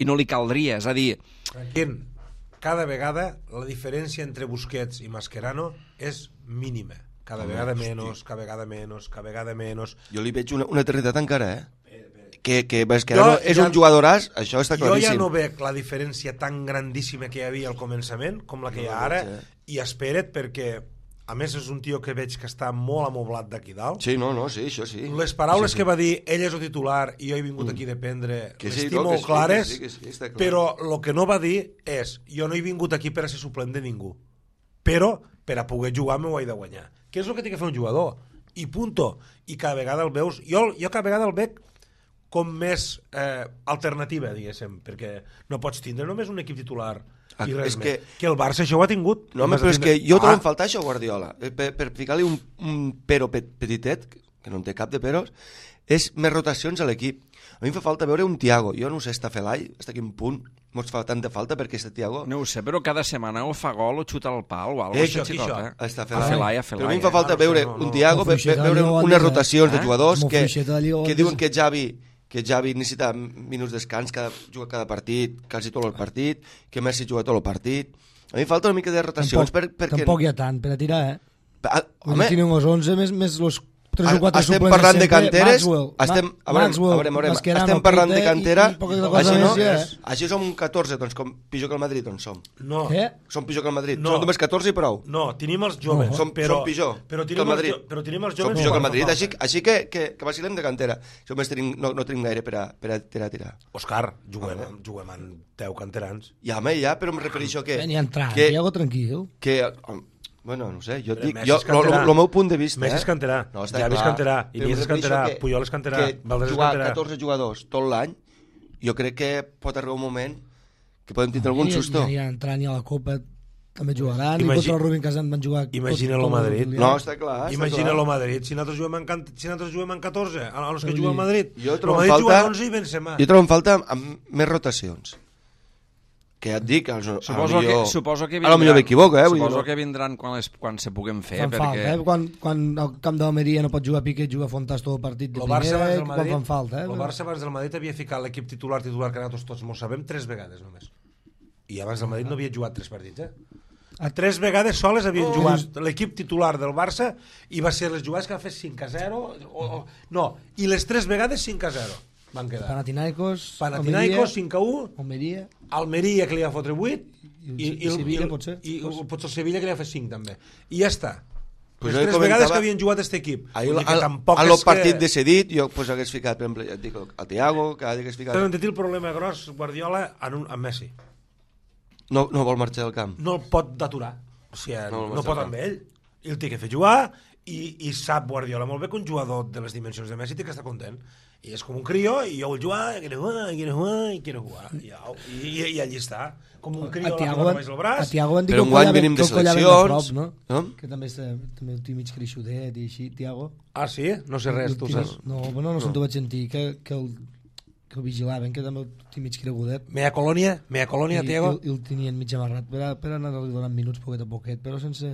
no li caldria, és a dir... Quin? Cada vegada la diferència entre Busquets i Mascherano és mínima. Cada vegada menys, cada vegada menys, cada vegada menys. Jo li veig una eternitat encara, que Mascherano és un jugadoràs, això està claríssim. Jo ja no veig la diferència tan grandíssima que hi havia al començament com la que hi ha ara, i espera't, perquè a més és un tio que veig que està molt amoblat d'aquí dalt. Sí, sí, això sí. Les paraules que va dir, ell és el titular i jo he vingut aquí a dependre, les tinc molt clares, però el que no va dir és, jo no he vingut aquí per a ser suplent de ningú, però per a poder jugar m'ho he de guanyar. Què és el que té que fer un jugador? I punto. I cada vegada el veus... Jo cada vegada el veig com més alternativa, diguéssim, perquè no pots tindre només un equip titular i res més. Que el Barça això ho ha tingut. No, però és que jo trobo faltar això, Guardiola. Per ficar-li un pero petitet, que no en té cap de peros, és més rotacions a l'equip. A mi em fa falta veure un Thiago. Jo no sé, està Felai, està a quin punt mos fa tanta falta perquè este Thiago... No ho sé, però cada setmana o fa gol o xuta al pal o alguna cosa. Això. Està Felai. Però a mi em fa falta veure un Thiago, veure unes rotacions de jugadors que diuen que Xavi necessita minuts descans, juga cada partit, quasi tot el partit, que Messi juga tot el partit. A mi em falta una mica de rotacions perquè... Tampoc hi ha tant per a tirar, Home, tenen els 11 més los 3 o 4 estem parlant de canteres, estem parlant de cantera, així som 14, doncs com pitjor que el Madrid, doncs som. No. Som pitjor que el Madrid, som només 14 i prou. No, tenim els joves, som pitjor que el Madrid. Però tenim els som joves pitjor que el Madrid, així que vacilem de cantera. No tenim gaire per a tirar. Òscar, juguem amb 10 canterans. Ja, però em refereixo que... Ni entrar, Thiago tranquil. Bueno, no sé, jo et dic, el meu punt de vista... Messi és canterà, Xavi és canterà, Iniesta és canterà, Puyol és canterà, Valdés és canterà. Jugar 14 jugadors tot l'any, jo crec que pot arribar un moment que podem tindre algun susto. Ni a entrar ni a la Copa també jugaran, i contra el Rubin Kazan van jugar... Imagina-lo Madrid. No, està clar. Imagina-lo Madrid, si nosaltres juguem en 14, a los que juguem al Madrid. Jo trobo en falta més rotacions. Que ja et dic, suposo que m'equivoco, suposo que vindran quan se puguem fer. Fan falta, quan al camp d'Almeria no pot jugar Piqué, juga Fontàs tot el partit de primer, quan fan falta. El Barça abans del Madrid havia ficat l'equip titular que nosaltres tots mos sabem 3 vegades només. I abans del Madrid no havia jugat 3 partits, A 3 vegades soles havien jugat l'equip titular del Barça i va ser les jugades que va fer 5-0 no, i les 3 vegades 5-0 van quedar. Panathinaikos 5-1, Almeria que li va fotre 8 i Sevilla potser el Sevilla que li va fer 5 també, i ja està. Pues les 3 vegades que havien jugat aquest equip. Al partit decidit jo hagués ficat, per exemple, el Thiago, que hagués ficat... Però en el problema gros Guardiola amb Messi no vol marxar del camp, no el pot d'aturar, o sigui, no pot amb ell, el té que fer jugar i sap Guardiola molt bé que un jugador de les dimensions de Messi té que estar content, i és com un crio i jo vull jugar, quiero jugar i allí està com un crio a Tiago van dir però un guany venim de seleccions, que també el té mig creixudet i així, Tiago. Sí? No sé res, tu saps? No se'n t'ho vaig sentir, que el vigilaven, que també el té mig cregudet. Mea colònia, Tiago? I el tenien mig amarrat per anar-li donant minuts poquet a poquet, però sense...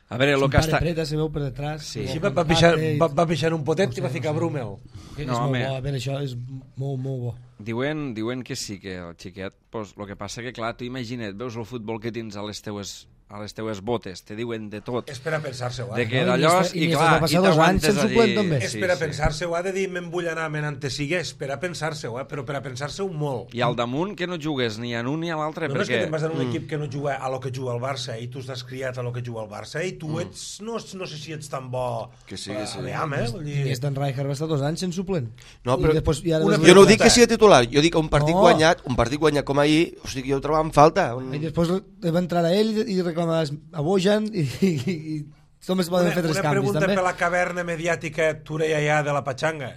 A veure, el que està... Preta se veu per detrás. Sí, va pixar un potet i va ficar Brumel. És molt bo, a veure, això és molt bo. Diuen que sí, que el xiquet, pues, el que passa que, clar, tu imagina't, veus el futbol que tens a les teues botes, te diuen de tot. És per a pensar-se-ho, De que d'allò, i clar, i t'aguantes a dir... És per a pensar-se-ho, de dir, me'n vull anar menant te sigue, és per a pensar-se-ho, però per a pensar-se-ho molt. I al damunt que no jugues ni a un ni a l'altre, perquè... No és que te'n vas en un equip que no juga a lo que juga el Barça i tu estàs criat a lo que juga el Barça i tu ets, no sé si ets tan bo... Que sí. I Stan Rijkaard va estar 2 anys sense suplent. No, però jo no dic que sigui titular, jo dic que un partit guanyat com ahir, o sigui, jo ho trobo en falta. I després va entrar a ell i reclamar a Bojan i només poden fer 3 canvis. Una pregunta per la caverna mediàtica Tureia de la Pachanga.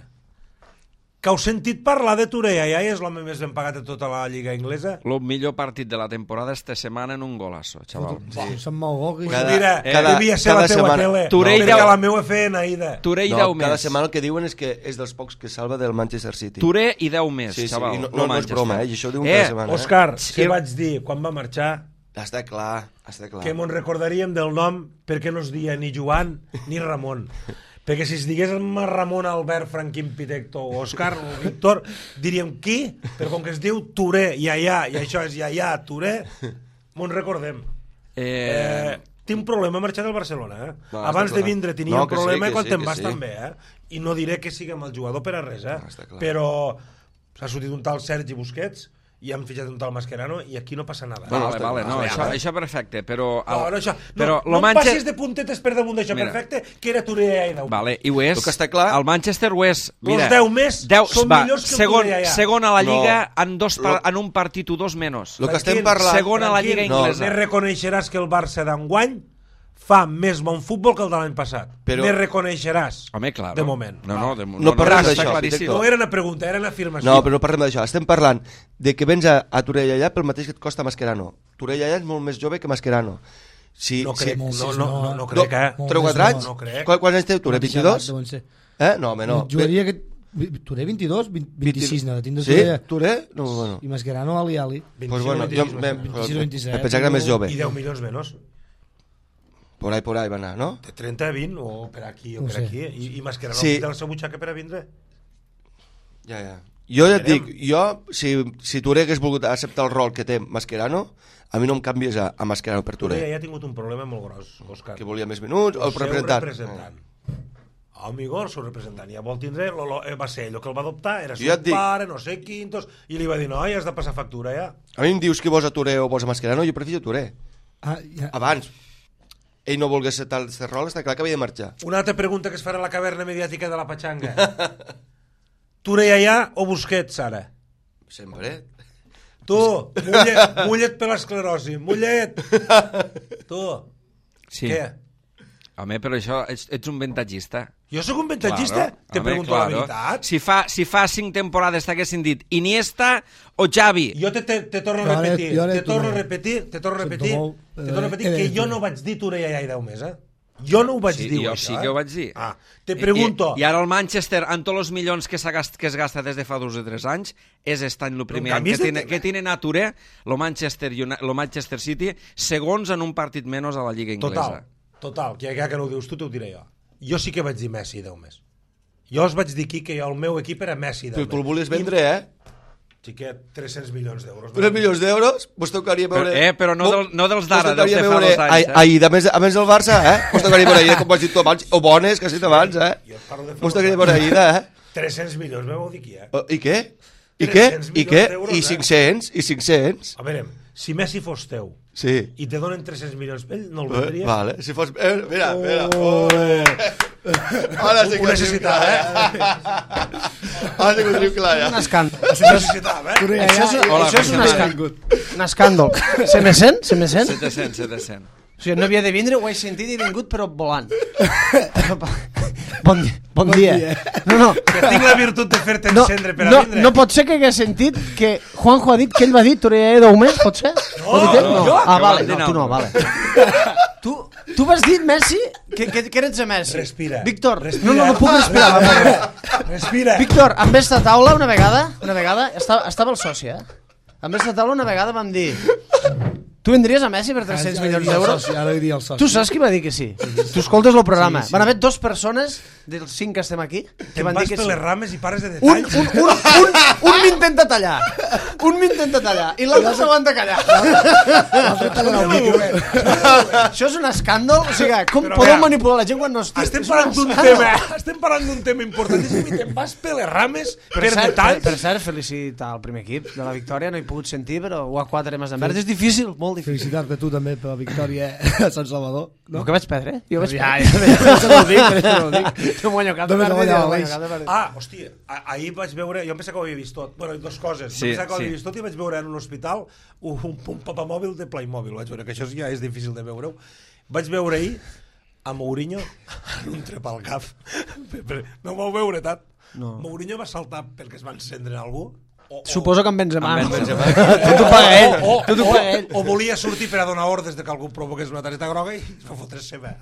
Que heu sentit parlar de Touré Yaya, és l'home més ben pagat de tota la lliga inglesa? El millor partit de la temporada esta setmana en un golazo, xaval. Sí. Se'n mou gol. Mira, devia ser la teva tele, perquè la meva feina, Ida. Touré i 10 No, més. cada setmana el que diuen és que és dels pocs que salva del Manchester City. Touré i 10 més, Sí, xaval. i no és broma, i això ho diuen cada setmana. Òscar, Sí. què vaig dir quan va marxar? Està clar, està clar. Que mos recordaríem del nom perquè no es dia ni Joan ni Ramon. Perquè si es digués Ramon, Albert, Franquín, Pitecto o Òscar o Víctor, diríem qui? Però com que es diu Touré, Yaya, i això és Yaya, Touré, mos recordem. Tinc un problema a marxar del Barcelona, eh? No, Abans de clar. vindre tenia No, un que sí, problema que i quan sí, te'n que vas sí. també, eh? I no diré que siguem el jugador per a res, eh? No, està clar. Però s'ha sortit un tal Sergi Busquets i han fitxat un tal Mascherano i aquí no passa nada. Vale, no, això perfecte, però... No em passis de puntetes per damunt d'això, Mira. perfecte, que era Touré i 10. Vale, i ho és. El que està clar- El Manchester ho és. Mira, Los 10 més són millors que el Touré ja. Segon a la Lliga No. en un partit o dos menys. Lo que estem parlant... Segon a la Lliga inglesa. Ne reconeixeràs que el Barça d'enguany fa més bon futbol que el de l'any passat. Però- Ne reconeixeràs. Home, clar. De moment. No parlem està d'això, claríssim. No era una pregunta, era una afirmació. No, però no parlem d'això. Estem parlant de que vens a Touré Yaya pel mateix que et costa Mascherano. Touré Yaya és molt més jove que Mascherano. Si, No crec, si, no crec, eh? 3 o 4 anys? No crec. Quants anys té Touré? 22? No, home, no. Jugaria que... Touré 22, 26, no, tindre Sí? Touré. Touré? No, bueno. I Mascherano, Ali. Pues bueno, jo 26 o 27. pensava que era més jove. I 10 milions menys. Por ahí va anar, no? De 30 a 20 o per aquí o No per sé. aquí. I Mascherano Sí. de la seva butxaca per a vindre. Ja. Jo ja et dic, si Touré hagués volgut acceptar el rol que té Mascherano, a mi no em canvies a Mascherano per Touré Touré. ja ha tingut un problema molt gros, Òscar. Que volia més minuts, o el seu representant. Amigo, el seu representant ja vol tindre, va ser ell el que el va adoptar, era Jo ja seu et dic- pare, no sé quintos, i li va dir, no, ja has de passar factura, ja. A mi em dius que vols a Touré o vols a Mascherano, jo prefiro Touré. Abans, ell no volgués ser tal de rol, està clar que havia de marxar. Una altra pregunta que es farà a la caverna mediàtica de la Pachanga. Touré Yaya o Busquets, ara? Sempre. Tu, mullet per l'esclerosi, mullet! Tu, Sí. què? Home, però això, ets un ventatgista. Jo sóc un ventatgista? Te Home, pregunto la veritat. Si fa 5 temporades t'haguessin dit Iniesta o Xavi. Jo te torno No, a repetir, jo te torno a repetir que jo no vaig dir Touré Yaya i 10 més, eh? Jo no ho vaig dir, jo això, sí que ho vaig dir. Te pregunto... I ara el Manchester, amb tots els milions que es gasta des de fa 2 o 3 anys, és este any el primer any que tiene a Touré, el Manchester City, segons en un partit menys a la Lliga Inglesa. Total, que ja que no ho dius tu, t'ho diré jo. Jo sí que vaig dir Messi 10 més. Jo us vaig dir aquí que el meu equip era Messi 10 més. Tu el volies vendre, eh? Xiquet, 300 milions d'euros. 3 milions d'euros? Vos tocaria veure... Però no dels d'ara, dels de fa veure... 2 anys. Ahir, a més del Barça, eh? Vos tocaria veure ahir, com vas dir tu abans, o bones, que has dit abans, eh? Jo et parlo de Vos tocaria veure ahir, eh? 300 milions, m'heu dit aquí, eh? I què? I 300 què? I què? milions d'euros, I 500? I 500? A veure, si Messi fos teu Sí. i te donen 300 milions, ell no el vendries? Vale, si fos... Mira. Ara sí que Ho necessitava, eh? Ara sí que ho tenim clar, ja. Un escàndol. Ho necessitava, eh? Això és un escàndol. Un escàndol. Se me sent? 700. O sigui, no havia de vindre, ho he sentit i he vingut, però volant. Bon dia. No. Que tinc la virtut de fer-te No, encendre per a vindre. no pot ser que hagués sentit que Juanjo ha dit que ell va dir Touré Yaya 10 més, pot ser? No, jo? Ah, vale, Que no, tu no, vale. Tu vas dir, Messi, que eres de Messi. Respira. Víctor, Respira. no puc respirar. Respira. Víctor, amb esta taula una vegada, estava el soci, eh? Amb esta taula una vegada vam dir... Tu vendries a Messi per 300 milions d'euros? Ara diria el soci. Tu saps qui va dir que sí? Tu escoltes el programa. Van haver 2 persones, dels 5 que estem aquí, que Te'n van dir vas que per sí. les rames i pares de detalls. Un m'intenta tallar. I l'altre s'aguanta callar. Això és un escàndol. O sigui, com Però podeu mira, manipular la gent quan no estic? Estem És un parlant d'un tema importantíssim i te'n vas per les rames per detalls. Per cert, felicitar el primer equip de la victòria. No he pogut sentir, però ho a 4 més en verd. És difícil, molt difícil. Felicitar-te tu també per la victòria a Sant Salvador. No, que vaig perdre? Jo vaig Ja, perdre. això no ho dic. No guanyo cap de Només partit, guanyava no guanyo l'Eix. cap de partit. Hòstia, ahir vaig veure... Jo em pensava que ho havia vist tot. Bueno, 2 coses. Sí, Em pensava que ho havia sí. vist tot i vaig veure en un hospital un papamòbil de Playmobil. Vaig veure que això ja és difícil de veure-ho. Vaig veure ahir a Mourinho en un trep al cap. No m'ho veure tant. No. Mourinho va saltar perquè es va encendre algú? Suposo que amb Benzema. Amb Benzema. Tot ho paga ell. Tot ho paga ell. O volia sortir per a donar ordres de que algú provoqués una targeta groga i es va fotre seva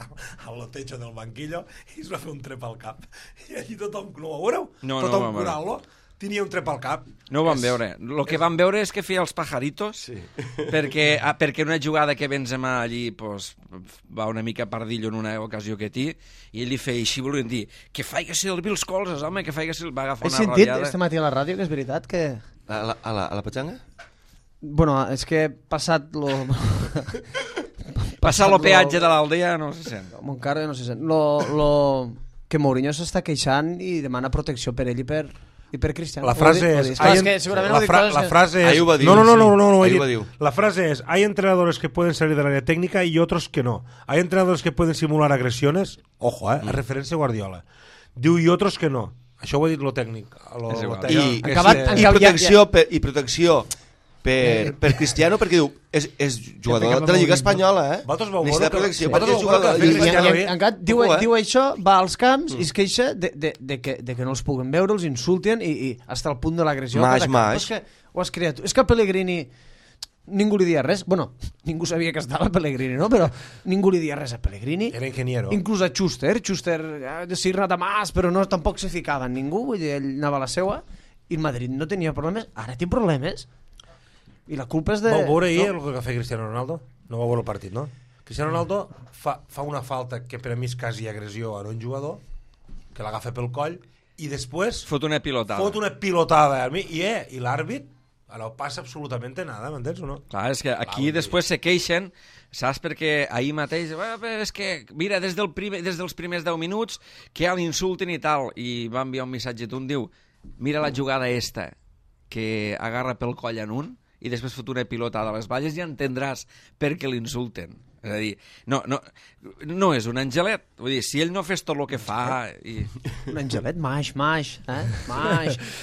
al techo del banquillo i es va fer un trep al cap. I allí tothom, no ho veureu? No, Tothom no, curant-lo. Tenia un trep al cap. No ho vam veure. El que vam veure és que feia els pajaritos perquè una jugada que Benzema allí pues, va una mica pardillo en una ocasió que té i ell li feia així, volien dir que faig servir els colzes, home, que faig servir... Va agafar He una sentit rabiada. este matí a la ràdio que és veritat que... A la petxanga? Bueno, és que passat lo... Passar el peatge de l'aldea no se sent. Encara no se sent. Que Mourinho s'està queixant i demana protecció per ell i per Cristiano. La frase és... És que segurament ho dic coses La frase es... Ahí ho va dir, no, sí. he Ahí dit. ho La frase es, hay entrenadores que pueden salir del área técnica y otros que no. Hay entrenadores que pueden simular agresiones, ojo, a referència a Guardiola. Diu, i otros que no. Això ho ha dit lo tècnic. És igual. I protecció per Cristiano, perquè diu, és jugador de la Lliga Espanyola, Vosaltres vau necessita veure protecció, que- perquè és jugador de la Lliga Cristiano Espanyola. bé. Encara diu això, va als camps i es queixa de que no els puguen veure, els insulten i hasta el punt de l'agressió. Maix. Ho has creat tu. És que Pellegrini ningú li dia res. Bueno, ningú sabia que estava Pellegrini, no? Però ningú li dia res a Pellegrini. Era ingeniero. Inclús a Schuster de Sirna de Mas, però no, tampoc se ficava en ningú, vull dir, ell anava a la seua i el Madrid no tenia problemes, ara té problemes. I la culpa és de... Vau veure ahir el que feia Cristiano Ronaldo? No vau veure el partit, no? Cristiano Ronaldo fa una falta que per a mi és quasi agressió a un jugador, que l'agafa pel coll, i després Fot una pilotada. fot una pilotada a mi, i l'àrbit no passa absolutament nada, m'entens o no? Clar, és que aquí després se queixen, saps, perquè ahir mateix, és que, mira, des dels primers 10 minuts que ja l'insulten i tal, i va enviar un missatge d'un, diu, mira la jugada esta, que agarra pel coll en un, i després fot una pilotada a les valles i entendràs per què l'insulten. És a dir, no és un angelet. Vull dir, si ell no fes tot el que fa... Un angelet, maix.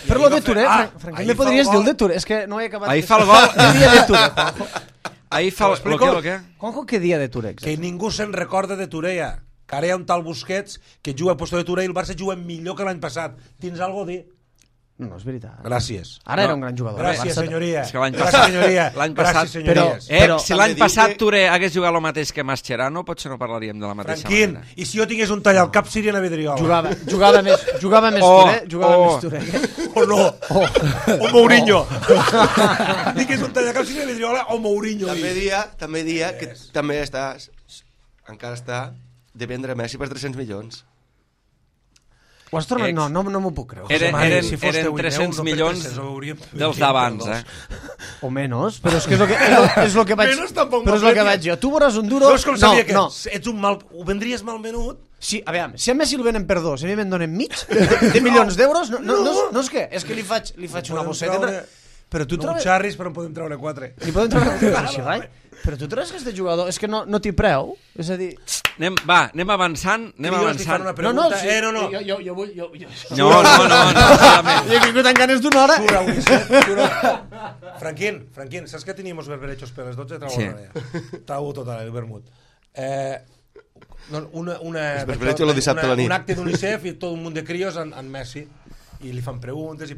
Per lo de Touré, Franquí, me podries dir el de Touré? És que no he acabat... Ahir fa el gol... Què dia de Touré, Juanjo? Ahir fa el que? Juanjo, què dia de Touré? Que ningú se'n recorda de Touré, ja. Que ara hi ha un tal Busquets que juga a puesto de Touré i el Barça juga millor que l'any passat. Tens algo a dir? No, és veritat. Gràcies. Ara era un gran jugador. Gràcies, senyoria. És que l'any Gràcies, passat- senyoria. l'any passat- Gràcies, senyories. Però si l'any també diu passat que- Touré hagués jugat el mateix que Mascherano, potser no parlaríem de la mateixa Franquín, manera. i si jo tingués un tall al cap seria a Vidriola. Jugava més Touré, més Touré. O no. O Mourinho. Tingués un tall al cap seria a Vidriola o Mourinho. També dia que també encara està de vendre Messi per 300 milions. Ho has tornat? No m'ho puc creure. Eren si fos 10 300 no per milions 300, ho hauríem- dels d'abans, O menys, però és que és el que vaig... Menys tampoc Però és el que m'aprecia. vaig jo. Tu veuràs un duro... No és com sabia que no. ets un mal... Ho vendries mal menut? Sí, a veure, si a Messi el venen per 2 i a mi me'n donen mig de milions d'euros, no és què? És que li faig una Podem bosseta... treure- Però tu No trobes... xarris, però en podem treure 4. Li podem treure un xirrai? Però tu trobes que este jugador... És que no t'hi preu? És a dir... Anem avançant, anem avançant. Una pregunta. sí, no. Jo vull... No, solament. Jo he vingut amb ganes d'una hora. Sura, Ulisset. Franquín, saps que teníamos berberechos per les 12? Sí. Trau total, el vermut. Els berberechos lo dissabte a la nit. Un acte d'UNICEF i tot un munt de crios en Messi. I li fan preguntes i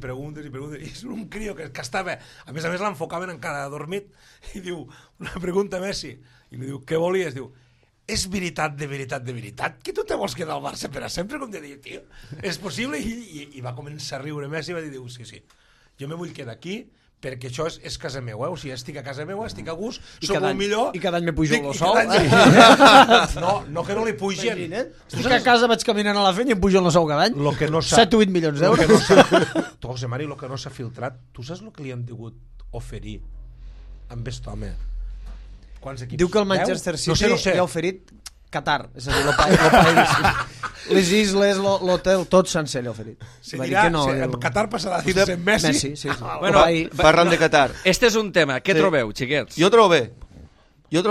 és un crio que estava, a més l'enfocaven encara adormit i diu, una pregunta a Messi i li diu, què volies? Diu, és veritat que tu te vols quedar al Barça per a sempre? Com de dir, tio, és possible? I va començar a riure Messi i va dir, sí, jo me vull quedar aquí perquè això és casa meva, o sigui, estic a casa meva, estic a gust, soc el millor... I cada any me pujo el sou. No que no li pugen. Estic a casa, vaig caminant a la feina i em pujo el sou cada any. Lo que no s'ha... 7 o 8 milions d'euros. Tu, José Mari, el que no s'ha filtrat, tu saps el que li han degut oferir amb aquest home? Quants equips? Diu que el Manchester 10? City No sé. li ha oferit Qatar, és a dir, el país. Les isles, l'hotel, tot sencer li ha oferit. Se Va dir dirà, que no, Qatar passarà a dir-se Messi. Messi, sí. Bueno, Parlant de Qatar. Este és un tema. Què trobeu, xiquets? Jo trobo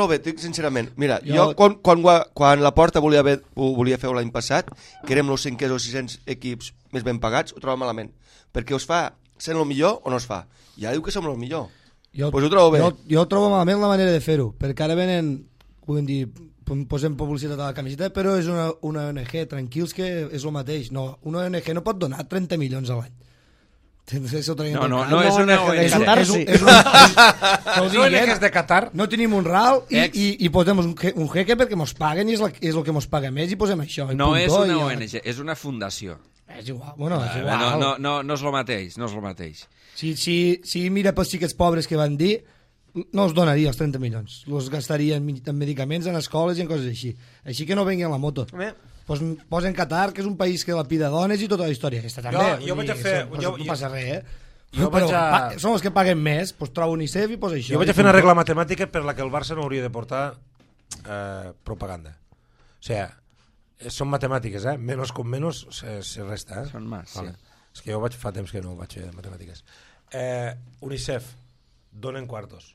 bé, dic sincerament. Mira, jo quan la Porta ho volia fer l'any passat, que érem els 500 o 600 equips més ben pagats, ho trobo malament. Perquè us fa sent el millor o no es fa? Ja diu que som el millor. Pues ho trobo bé. Jo trobo malament la manera de fer-ho, perquè ara venen puguem dir, posem publicitat a la camiseta, però és una ONG, tranquils, que és el mateix. No, una ONG no pot donar 30 milions a l'any. No és una ONG. És una ONG de Qatar. No tenim un RAL i posem un jeque perquè mos paguen i és el que mos paga més i posem això. No és una ONG, és una fundació. És igual, bueno, és igual. No és el mateix, no és el mateix. Si mira pels xiquets pobres que van dir, no els donaria els 30 milions. Els gastaria en medicaments, en escoles i en coses així. Així que no vengui en la moto. Posen Qatar, que és un país que lapida dones i tota la història. Aquesta també. Jo vaig a fer... No passa res, són els que paguen més, doncs trobo UNICEF i posa això. Jo vaig a fer una regla matemàtica per la que el Barça no hauria de portar propaganda. O sigui, són matemàtiques, Menos con menos se resta, Són más, sí. És que jo fa temps que no vaig fer matemàtiques. UNICEF, donen quartos.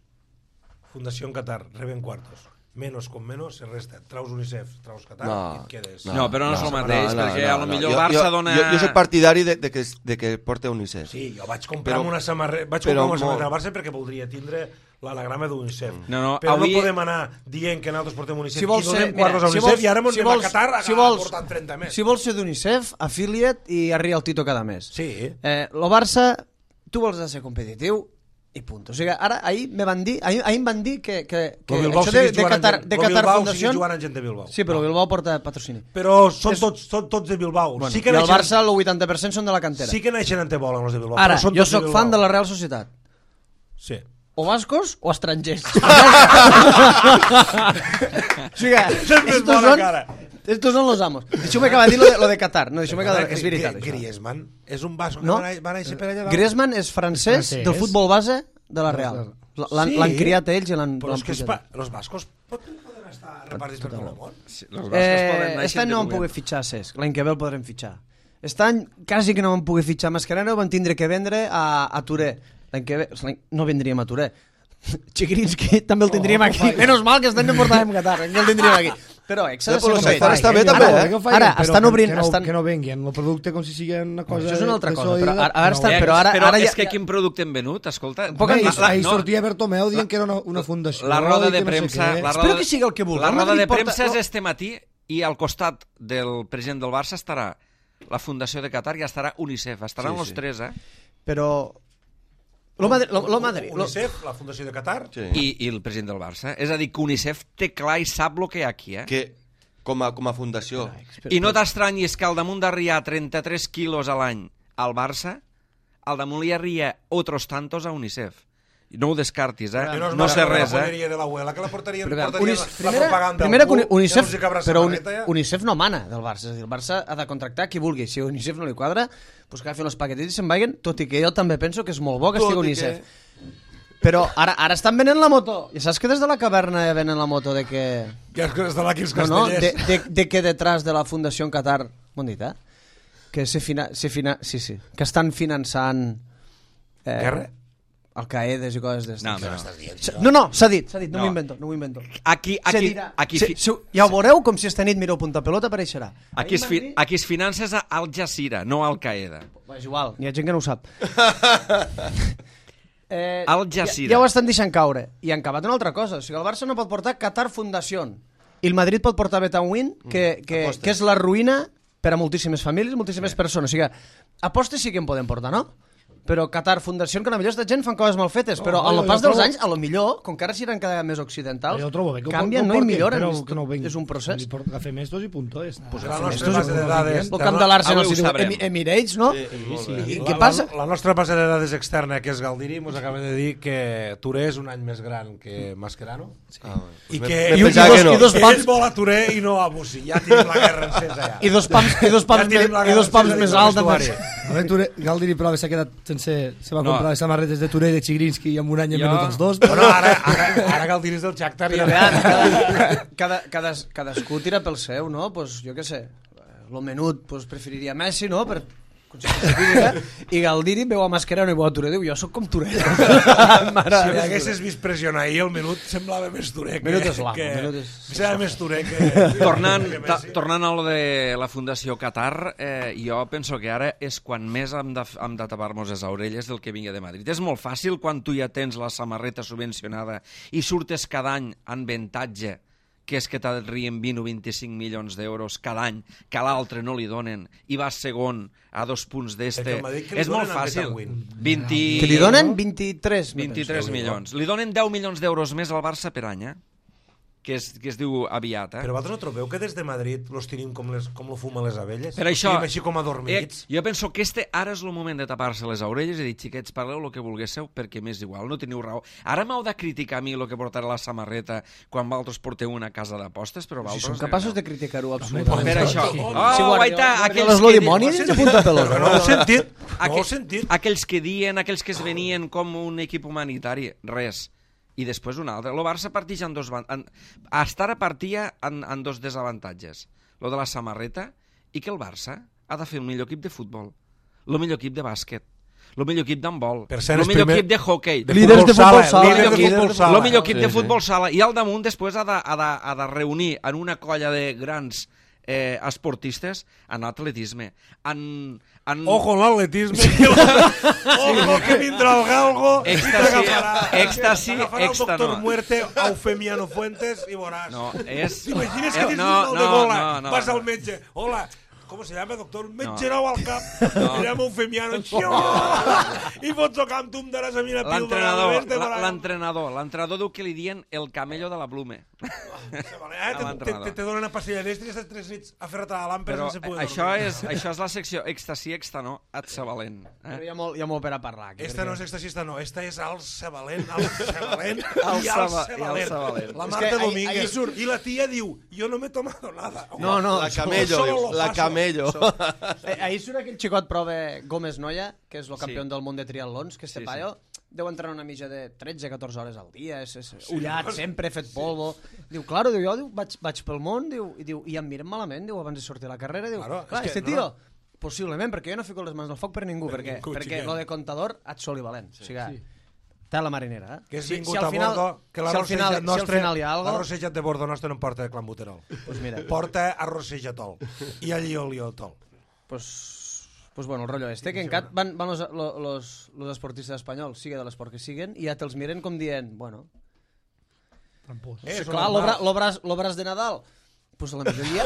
Fundació en Qatar, reben quartos. Menos con menos se resta. Traus UNICEF, traus Qatar i et quedes. No, però no és el mateix, perquè a lo millor Barça dona... Jo soc partidari de que porte UNICEF. Sí, jo vaig comprar una samarreta al Barça perquè voldria tindre l'anagrama d'UNICEF. Però no podem anar dient que nosaltres portem UNICEF i donem quartos a UNICEF i ara anem a Qatar portant 30 més. Si vols ser d'UNICEF, afilia't i arria el Tito cada mes. Sí. El Barça, tu vols ser competitiu i punt. O sigui, ara, ahir em van dir que Bilbao això de Qatar Fundació... jugant amb gent de Bilbao. Sí, però Bilbao porta patrocini. Però són tots de Bilbao. Bueno, i el Barça, el 80% són de la cantera. Sí que naixen en Tebola, els de Bilbao. Ara, jo sóc fan de la Real Societat. Sí. O bascos o estrangers. O sigui, estos son los amos. Deixeu-me acabar de dir lo de Qatar. No, deixeu-me acabar de dir, és veritat. Griezmann és un basco que va néixer per allà. Griezmann és francès del futbol base de la Real. L'han criat ells i l'han pujat. Els bascos poden estar repartits per tot el món. Aquest any no vam poder fitxar Cesc, l'any que ve el podrem fitxar. Aquest any quasi que no vam poder fitxar Mascherano, vam tindre que vendre a Touré. L'any que ve no vendríem a Touré. Chigrinsky també el tindríem aquí. Menos mal que aquest any no portàvem Qatar, que el tindríem aquí. Però s'ha de ser competitiu. Està bé també, Ara estan obrint... Que no venguin el producte com si sigui una cosa... Això és una altra cosa, però ara és que quin producte hem venut, escolta... Ahir sortia Bertomeu dient que era una fundació... La roda de premsa... Espero que sigui el que vulgui. La roda de premsa és este matí i al costat del president del Barça estarà la Fundació de Qatar i estarà UNICEF. Estaran els tres, Però... UNICEF, la Fundació de Qatar i el president del Barça. És a dir, que UNICEF té clar i sap el que hi ha aquí, Que com a fundació. I no t'estranyis que al damunt d'arriar 33 quilos a l'any al Barça, al damunt li arria otros tantos a UNICEF. No ho descartis, no sé res, de l'abuela, que la portaria la propaganda. Primera que UNICEF, però UNICEF no mana del Barça, és a dir, el Barça ha de contractar qui vulgui. Si UNICEF no li quadra, doncs que agafin els paquetets i se'n vagin, tot i que jo també penso que és molt bo que estigui UNICEF. Però ara estan venent la moto. I saps que des de la caverna venen la moto de que... Ja és que des de l'Aquils Castellers. De que detrás de la Fundació en Qatar, m'ho han dit, que que estan finançant... Guerra? Al-Qaedes i coses d'aquestes. No, s'ha dit, no m'ho invento. Aquí ja ho veureu, com si esta nit mireu Punta Pelota, apareixerà. Aquí es finances a Al Jazeera, no Al Qaeda. És igual, n'hi ha gent que no ho sap. Al Jazeera. Ja ho estan deixant caure. I han acabat una altra cosa. O sigui, el Barça no pot portar Qatar Fundació. I el Madrid pot portar Betanwin, que és la ruïna per a moltíssimes famílies, moltíssimes persones. O sigui, apostes sí que en podem portar, no? Però Qatar Fundació, que potser aquesta gent fan coses mal fetes, però al pas dels anys, a lo millor, com que ara s'hi cada vegada més occidentals, canvien, no? I milloren. És un procés. Cafè Mestos i puntó. La nostra base de dades... El camp de l'Arsenal s'hi diu Emirates, no? I què passa? La nostra base de dades externa, que és Galdiri, ens acaba de dir que Touré és un any més gran que Mascherano. I que ell vol a Touré i no a Bussi. Ja tenim la guerra encesa, ja. I dos pams més alts. Galdiri, però, s'ha quedat se va comprar les samarretes de Touré i de Chigrinsky i en un any hem venut els dos. Bueno, ara Galdiri és del Shakhtar. Cadascú tira pel seu, no? Pues, jo què sé, el menut preferiria Messi, no? I Galdiri veu a Mascherano i veu a Touré, diu, jo sóc com Touré. Si haguessis vist pressionar ahir, el menut semblava més Touré semblava més Touré que... Tornant a lo de la Fundació Qatar, jo penso que ara és quan més hem de tapar-nos les orelles del que vingui de Madrid. És molt fàcil quan tu ja tens la samarreta subvencionada i surtes cada any en avantatge que és que t'arrien 20 o 25 milions d'euros cada any, que a l'altre no li donen, i vas segon a 2 punts d'este. És molt fàcil. Que li donen 23 milions. Li donen 10 milions d'euros més al Barça per any, que es diu aviat. Però vosaltres no trobeu que des de Madrid los tenim com lo fumen les abelles? Per això, així com adormits? Jo penso que ara és el moment de tapar-se les orelles i dir, xiquets, parleu el que volguéssiu perquè m'és igual, no teniu raó. Ara m'heu de criticar a mi el que portarà la samarreta quan vosaltres porteu una casa d'apostes, però vosaltres... Si són capaços de criticar-ho absolutament. Per això. No ho he sentit. Aquells que diuen, aquells que es venien com un equip humanitari, res. I després un altre. El Barça parteix en dos... Hasta ara partia en dos desavantatges. Lo de la samarreta i que el Barça ha de fer el millor equip de futbol, el millor equip de bàsquet, el millor equip d'handbol, el millor equip de hockey, líders de futbol sala, el millor equip de futbol sala, i al damunt després ha de reunir en una colla de grans esportistes en atletisme, Ojo l'atletisme. Ojo que vindrà el galgo i Èxtasi, agafarà el doctor Muerte, Eufemiano Fuentes i veuràs. T'imagines que tens un de gola, vas al metge, hola, ¿cómo se llama, doctor? M'he girado al cap, me llamo Eufemiano, i fots el camp, tu em daràs a mi una píldora. L'entrenador diu que li dien el camello de la Blume. Te donen una pastilla d'estre i estàs 3 nits aferrat a la làmpara sense poder dormir. Això és la secció èxtasi, no, Atsa Valent. Però hi ha molt per a parlar. Esta no és èxtasista, no, esta és Alça Valent, i Alça Valent. La Marta Domínguez. I la tia diu, jo no m'he tomado nada. No, La camello. Ahir surt aquell xicot prove Gómez Noya, que és el campió del món de triatlons, que este paio deu entrenar una mitja de 13-14 hores al dia, és ullat, sempre fet polvo. Diu, claro, jo vaig pel món, i em miren malament, abans de sortir a la carrera, diu, clar, este tio, possiblement, perquè jo no fico les mans al foc per ningú, perquè lo de contador et soli valent. O sigui, té la marinera, que és vingut a Bordo, que l'arrossejat de Bordo nostre no porta clambuterol. Porta arrossejatol i allioliotol. Pues bueno, el rollo este, que en Cat van los esportistes espanyols, sigue de l'esport que siguen, i ja te'ls miren com dient, bueno... Clar, l'obras de Nadal, pues a la majoria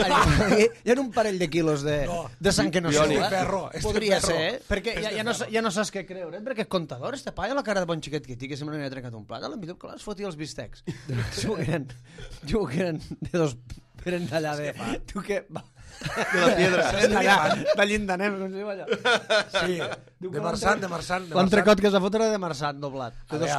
hi ha un parell de quilos de sang que no surt. Podria ser, perquè ja no saps què creure, perquè és contador, este paio, la cara de bon xiquet que té, que sempre n'hi ha trencat un plat, a la millor que es fotia els bistecs. Diu que eren de dos... Eren d'allà de... Tu què... De la piedra. De Llindanem, com se diu allò. Sí, de Marçant. L'entrecot que es va fotre era de Marçant, doblat.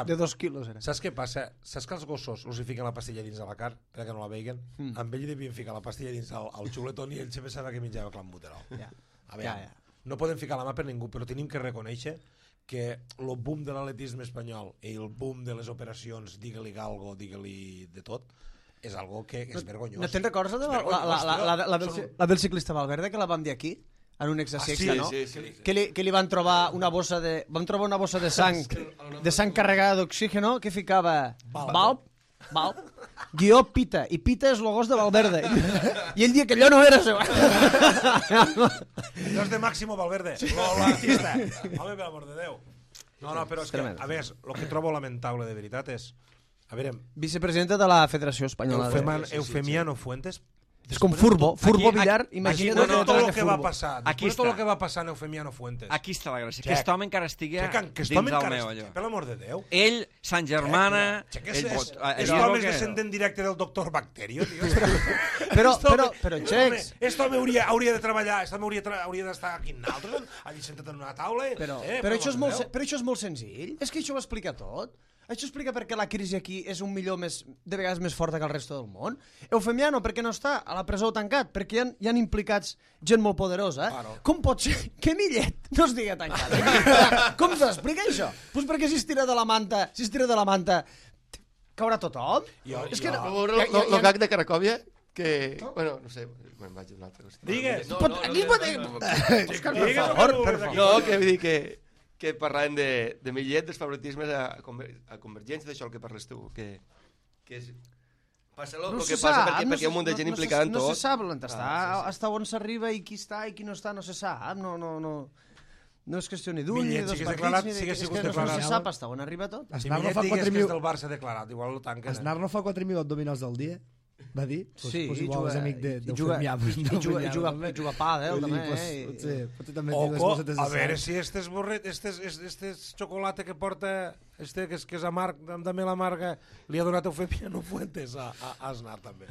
De 2 quilos era. Saps què passa? Saps que els gossos els hi fiquen la pastilla dins de la carn perquè no la veiguen? Amb ell hi devien ficar la pastilla dins al xuletón i ell sempre sabia que menjava clambuterol. No podem ficar la mà per ningú, però tenim que reconèixer que el boom de l'atletisme espanyol i el boom de les operacions, digue-li galgo, digue-li de tot, és algo que és vergonyós. No te'n recordes la del ciclista Valverde, que la vam dir aquí? En un exercici, no? Que li van trobar una bossa de... Vam trobar una bossa de sang carregada d'oxígeno que ficava Valp, guió Pita, i Pita és el gos de Valverde. I ell dia que allò no era seu. Allò és de Máximo Valverde, l'artista. Home, per amor de Déu. No, però és que, a més, el que trobo lamentable de veritat és... A veure... Vicepresidenta de la Federació Espanyola. Eufemiano Fuentes. És com Furbo Villar. Imagina't tot el que va passar. Després tot el que va passar en Eufemiano Fuentes. Aquí està la gràcia. Que aquest home encara estigui dins del meu allò. Per l'amor de Déu. Ell, Sant Germana... Aquest home és descendent directe del doctor Bacterio, tio. Però, Xecs... Aquest home hauria de treballar, aquest home hauria d'estar aquí en altres, allà sentat en una taula... Però això és molt senzill. És que això ho explica tot. Això explica per què la crisi aquí és un millor de vegades més forta que el resto del món. Eufemiano, per què no està a la presó tancat? Perquè hi ha implicats gent molt poderosa. Com pot ser que Millet no es digui tancat? Com s'explica això? Doncs perquè si es tira de la manta, caurà tothom? És que el gag de Cracòvia, que... Bueno, no sé, me'n vaig a una altra cosa. Digues! Per favor. No, que vull dir que parlàvem de Millet, dels favoritismes a Convergència, d'això el que parles tu, que és... Passa el que passa perquè hi ha un munt de gent implicada en tot. No se sap hasta on s'arriba i qui està i qui no està, no se sap. No és qüestió ni d'un, ni de dos partits, ni de... No se sap hasta on arriba tot. Si Millet digués que és del Barça declarat, igual ho tanquen. Aznar no fa 4.000 abdominals al dia? va dir? Sí, pues igual és amic i juga a pàdel, també. Potser també Oco, a veure si este xocolata que porta, que és amarg, de mel amarga, li ha donat Eufemiano Fuentes a Aznar, també.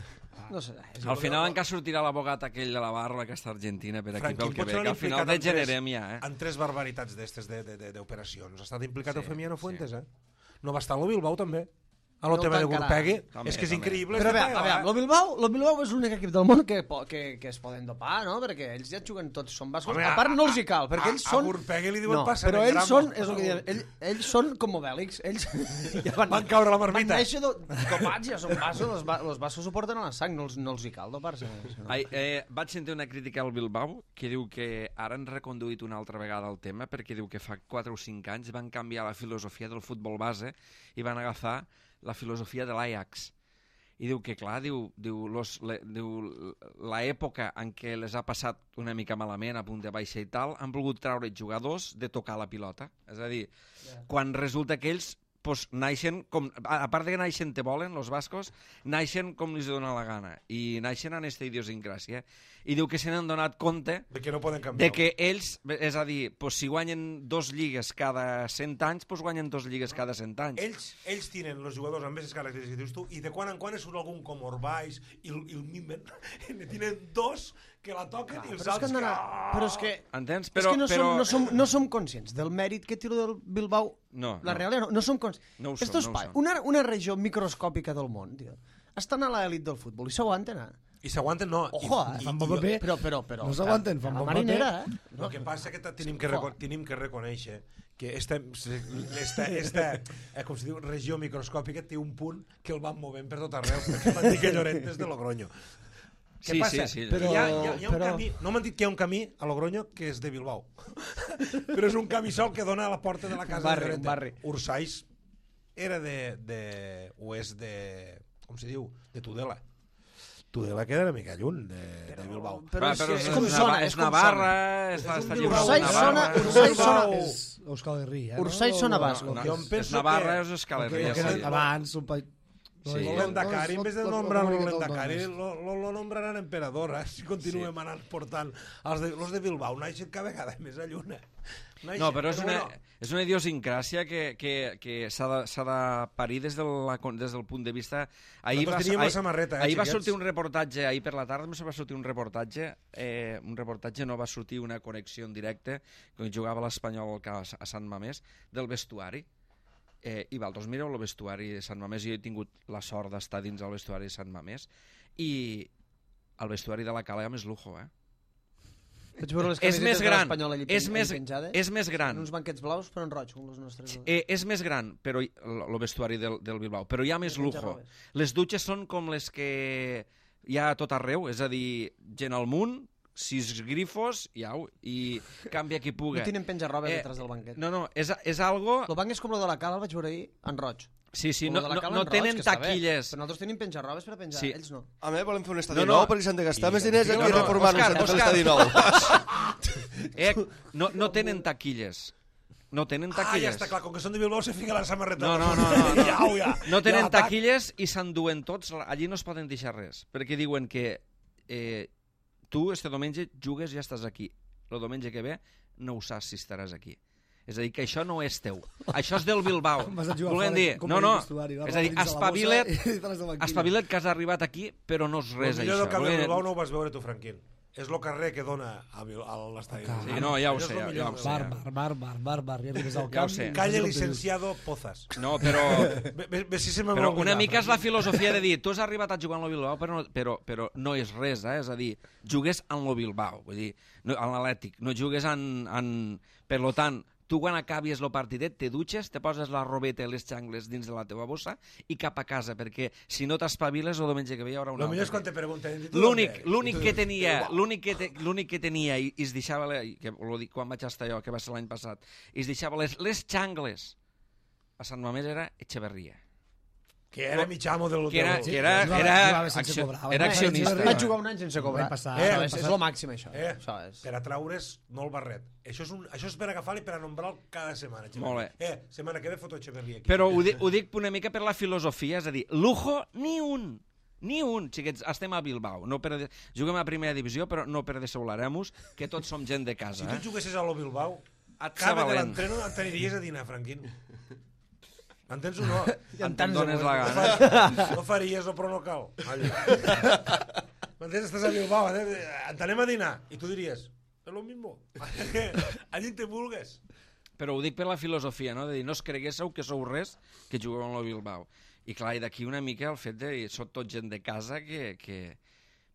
No sé. Al final encara sortirà l'abogat aquell de la barra, aquesta argentina, per aquí pel que ve, que al final degenerem ja, en 3 barbaritats d'estes d'operacions. Ha estat implicat Eufemiano Fuentes, No va estar a Bilbao, també. A lo tema de Gurpegui, és que és increïble. Però a veure, lo Bilbao és l'únic equip del món que es poden dopar, no? Perquè ells ja juguen tots, són bascos. A part no els hi cal, perquè ells són... A Gurpegui li diuen passa. Però ells són, és el que diuen, ells són com Obèlix. Ells van caure a la marmita. Van néixer dopats, ja són bassos, els bassos ho porten a la sang, no els hi cal dopar-se. Vaig sentir una crítica al Bilbao que diu que ara han reconduït una altra vegada el tema, perquè diu que fa 4 o 5 anys van canviar la filosofia del futbol base i van agafar la filosofia de l'Ajax. I diu que, clar, l'època en què les ha passat una mica malament, a punt de baixa i tal, han volgut treure jugadors de tocar la pilota. És a dir, quan resulta que ells naixen, a part de que naixen te volen, els bascos, naixen com els dona la gana, i naixen en aquesta idiosincràsia. I diu que se n'han donat compte de que no poden canviar. De que ells, és a dir, si guanyen 2 lligues cada 100 anys, guanyen 2 lligues cada 100 anys. Ells tenen els jugadors amb aquestes característiques que dius tu, i de quan en quan surt algun com Orbais i el Mimben, tenen 2 que la toquen i els altres però és que... Entens? És que no som conscients del mèrit que té del Bilbao. La realitat no som conscients. Una regió microscòpica del món, tio, estan a l'elit del futbol i s'aguanten, I s'aguanten, no. Ojo, fan bon paper. Però... No s'aguanten, fan bon paper. El que passa és que tenim que reconèixer que esta com se diu, regió microscòpica té un punt que el van movent per tot arreu, perquè van dir que Llorente és de Logroño. Què passa? Però hi ha un camí, no m'han dit que hi ha un camí a Logroño que és de Bilbao, però és un camí sol que dona a la porta de la casa de Llorente. Ursais era o és de, com se diu, de Tudela. Tudela queda una mica lluny de Bilbao. Però és com sona. És Navarra, està Ursais sona... És Euskal Herria. Ursais sona basco. És Navarra, és Euskal Herria. Abans, un país... L'Endacari, en vez de nombrar l'Endacari, lo nombraran emperador, si continuem anant portant els de Bilbao, naixen cada vegada més a lluna. No, però és una idiosincràsia que s'ha de parir des del punt de vista... Ahir va sortir un reportatge, ahir per la tarda va sortir un reportatge, no va sortir una connexió en directe, quan jugava l'Espanyol a Sant Mamés, del vestuari. I vosaltres mireu el vestuari de Sant Mamés. Jo he tingut la sort d'estar dins el vestuari de Sant Mamés i el vestuari de la Cala és lujo, és més gran, és més gran, uns banquets blaus però en roig, com els nostres. És més gran, però el vestuari del Bilbao, però hi ha més lujo. Les dutxes són com les que hi ha a tot arreu, és a dir, gent al munt, 6 grifos, i canvia qui puga. No tenen penjarrobes detrás del banquet. No, és algo... El banc és com el de la Cala, el vaig veure ahir, en roig. Sí, no tenen taquilles. Però nosaltres tenim penjarrobes per a penjar, ells no. A mi volem fer un estadi nou perquè s'han de gastar més diners aquí reformant-nos per l'estadi nou. No tenen taquilles. No tenen taquilles. Ja està clar, com que són de Bilbao se fica la samarreta. No. No tenen taquilles i s'enduen tots. Allí no es poden deixar res, perquè diuen que tu este diumenge jugues i ja estàs aquí. El diumenge que ve no ho saps si estaràs aquí. És a dir, que això no és teu. Això és del Bilbao. Volem dir, és a dir, espavila't que has arribat aquí, però no és res, això. El millor del camp del Bilbao no ho vas veure tu, Franquín. És el carrer que dona a l'estadi. Sí, no, ja ho sé. Bàrbar, ja arribes al camp. Calle Licenciado Pozas. No, però una mica és la filosofia de dir, tu has arribat a jugar en el Bilbao, però no és res, és a dir, jugues en el Bilbao, vull dir, en l'Atlètic, no jugues en... Per tant, tu quan acabis el partidet te dutxes, te poses la robeta i les xangles dins de la teva bossa i cap a casa, perquè si no t'espaviles el diumenge que ve hi haurà una altra. El millor és quan te pregunten... L'únic que tenia i es deixava, quan vaig estar jo, que va ser l'any passat, i es deixava les xangles a Sant Mamés era Echeverría. Que era mitjamo del... Que era accionista. Vaig jugar un any sense cobrar. És el màxim, això. Per a traure's, no el barret. Això és per agafar-li per a nombrar-lo cada setmana. Molt bé. Setmana que ve foto Echeverría aquí. Però ho dic una mica per la filosofia, és a dir, lujo ni un. Ni un, xiquets, estem a Bilbao. Juguem a primera divisió, però no per desaularem-nos, que tots som gent de casa. Si tu juguessis a lo Bilbao, Et cada de valent. l'entreno et t'aniries a dinar, Franquín. M'entens o no? Te'n dones la gana. No faries, però no cal. M'entens? Estàs a Bilbao, anem a dinar. I tu diries, és lo mismo. Allí te vulgues. Però ho dic per la filosofia, no? De dir, no us creguéssiu que sou res que jugueu amb el Bilbao. I clar, i d'aquí una mica el fet de... Sóc tot gent de casa que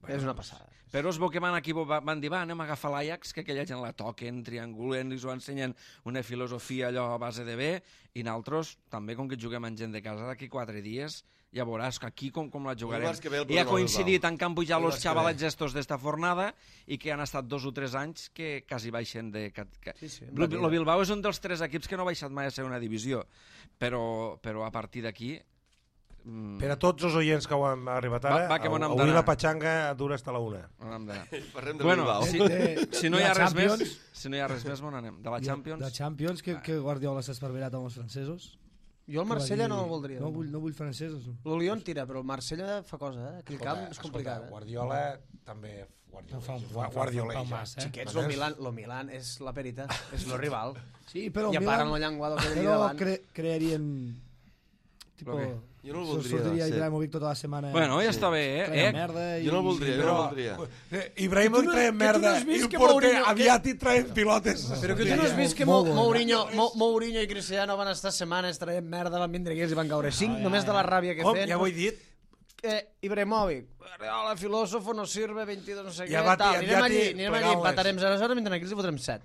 Bueno, és una passada. Però es veu que van aquí, van dir, va, anem a agafar l'Ajax, que aquella gent la toquen, triangulen, ens ho ensenyen una filosofia allò a base de bé, i nosaltres, també com que juguem amb gent de casa, d'aquí 4 dies, ja veuràs que aquí com la jugarem. I ha coincidit en que han pujat els xavalets estos d'esta fornada i que han estat 2 o 3 anys que quasi baixen de... Lo Bilbao és un dels 3 equips que no ha baixat mai a ser una divisió, però a partir d'aquí... Per a tots els oients que ho han arribat ara, avui la patxanga dura fins a la 1. Parlem de Bueno, Bilbao. si no hi ha res més, on anem? De la Champions? De Champions, que Guardiola s'ha esparverat amb els francesos. Jo el Marsella no el voldria. No vull francesos. El Lyon tira, però el Marsella fa cosa, Aquell camp és complicat. Guardiola també... Guardiola. Xiquets, lo Milan és la perita, és el rival. Sí, però I a part amb la llengua del que però davant. crearien... Tipo, jo no el voldria. Sortiria Ibrahimovic tota la setmana. Bueno, ja està bé, merda jo no el voldria, Ibrahimovic traiem merda i el porter aviat hi traiem pilotes. Però que tu no has vist que Mourinho i Cristiano van estar setmanes traient merda, van vindre aquí i van caure 5, només de la ràbia que feien. Ja ho he dit. Ibrahimovic, el filòsofo no sirve, 22 no sé què, tal. Anirem allí, empatarem 0-0, vindrem aquí i fotrem 7.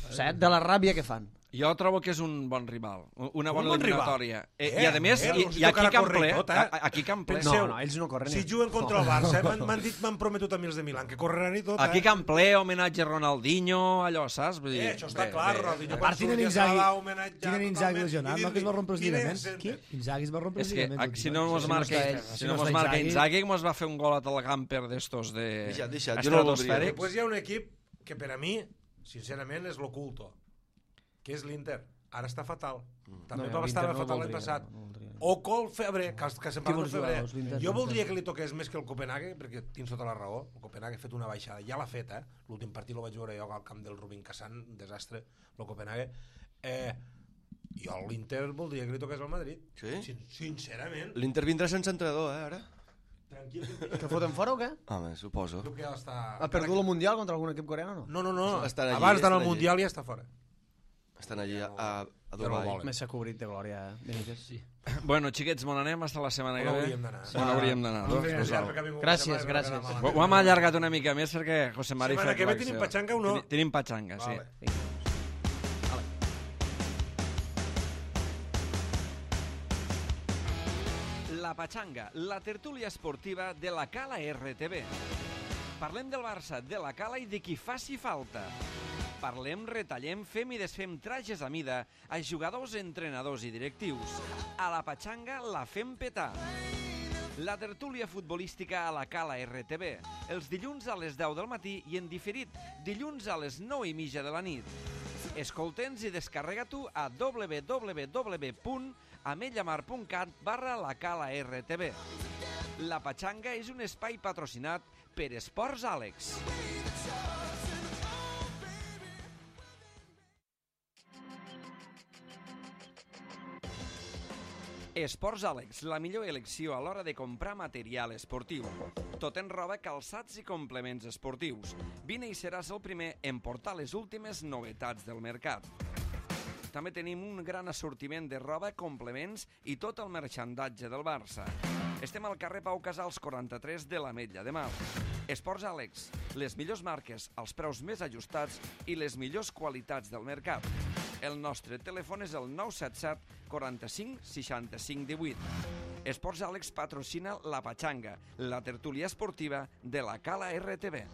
7 de la ràbia que fan. Jo trobo que és un bon rival, una bona eliminatòria. I a més, i aquí Camp Ple. No, ells no corren. Si juguen contra el Barça, m'han prometut a mi els de Milan que correran i tot. Aquí Camp Ple, homenatge a Ronaldinho, allò, saps? Això està clar, Ronaldinho. A part, tenen Inzaghi lesionat, no? Que es va rompre els lligaments. Inzaghi es va rompre els lligaments. És que si no mos marca Inzaghi, mos va fer un gol a tal camper d'estos de estratosfèrics. Després hi ha un equip que per a mi, sincerament, és l'oculto, que és l'Inter. Ara està fatal. També va estar fatal l'any passat. O Col Febre, que se'n parla del Febre. Jo voldria que li toqués més que el Copenhague, perquè tens tota la raó. El Copenhague ha fet una baixada. Ja l'ha fet, L'últim partit el vaig veure jo al camp del Rubin Kazan, un desastre, el Copenhague. Jo a l'Inter voldria que li toqués al Madrid. Sí? Sincerament. L'Inter vindrà sense entrenador, ara? Tranquil. Que foten fora o què? Home, suposo. Ha perdut el Mundial contra algun equip coreà o no? No. Abans d'anar al Mundial ja està fora. Estan allí a Dubai. Més s'ha cobrit de glòria, Sí. Bueno, xiquets, m'on anem hasta la setmana que ve? On hauríem d'anar? Gràcies. Ho hem allargat una mica més perquè José Mari... Setmana que ve tenim patxanga o no? Tenim patxanga, sí. La Patxanga, la tertúlia esportiva de la Cala RTV. Parlem del Barça, de la Cala i de qui faci falta. Parlem, retallem, fem i desfem trajes a mida a jugadors, entrenadors i directius. A la Patxanga la fem petar. La tertúlia futbolística a la Cala RTV, els dilluns a les 10 del matí i en diferit, dilluns a les 9:30 de la nit. Escolta'ns i descarrega-t'ho a www.ametlllamar.cat/la Cala RTV. La Patxanga és un espai patrocinat per Esports Àlex. Esports Àlex, la millor elecció a l'hora de comprar material esportiu. Tot en roba, calçats i complements esportius. Vine i seràs el primer en portar les últimes novetats del mercat. També tenim un gran assortiment de roba, complements i tot el merxandatge del Barça. Estem al carrer Pau Casals 43 de l'Ametlla de Mar. Esports Àlex, les millors marques, els preus més ajustats i les millors qualitats del mercat. El nostre telèfon és el 977 45 65 18. Esports Àlex patrocina la Patxanga, la tertúlia esportiva de la Cala RTV.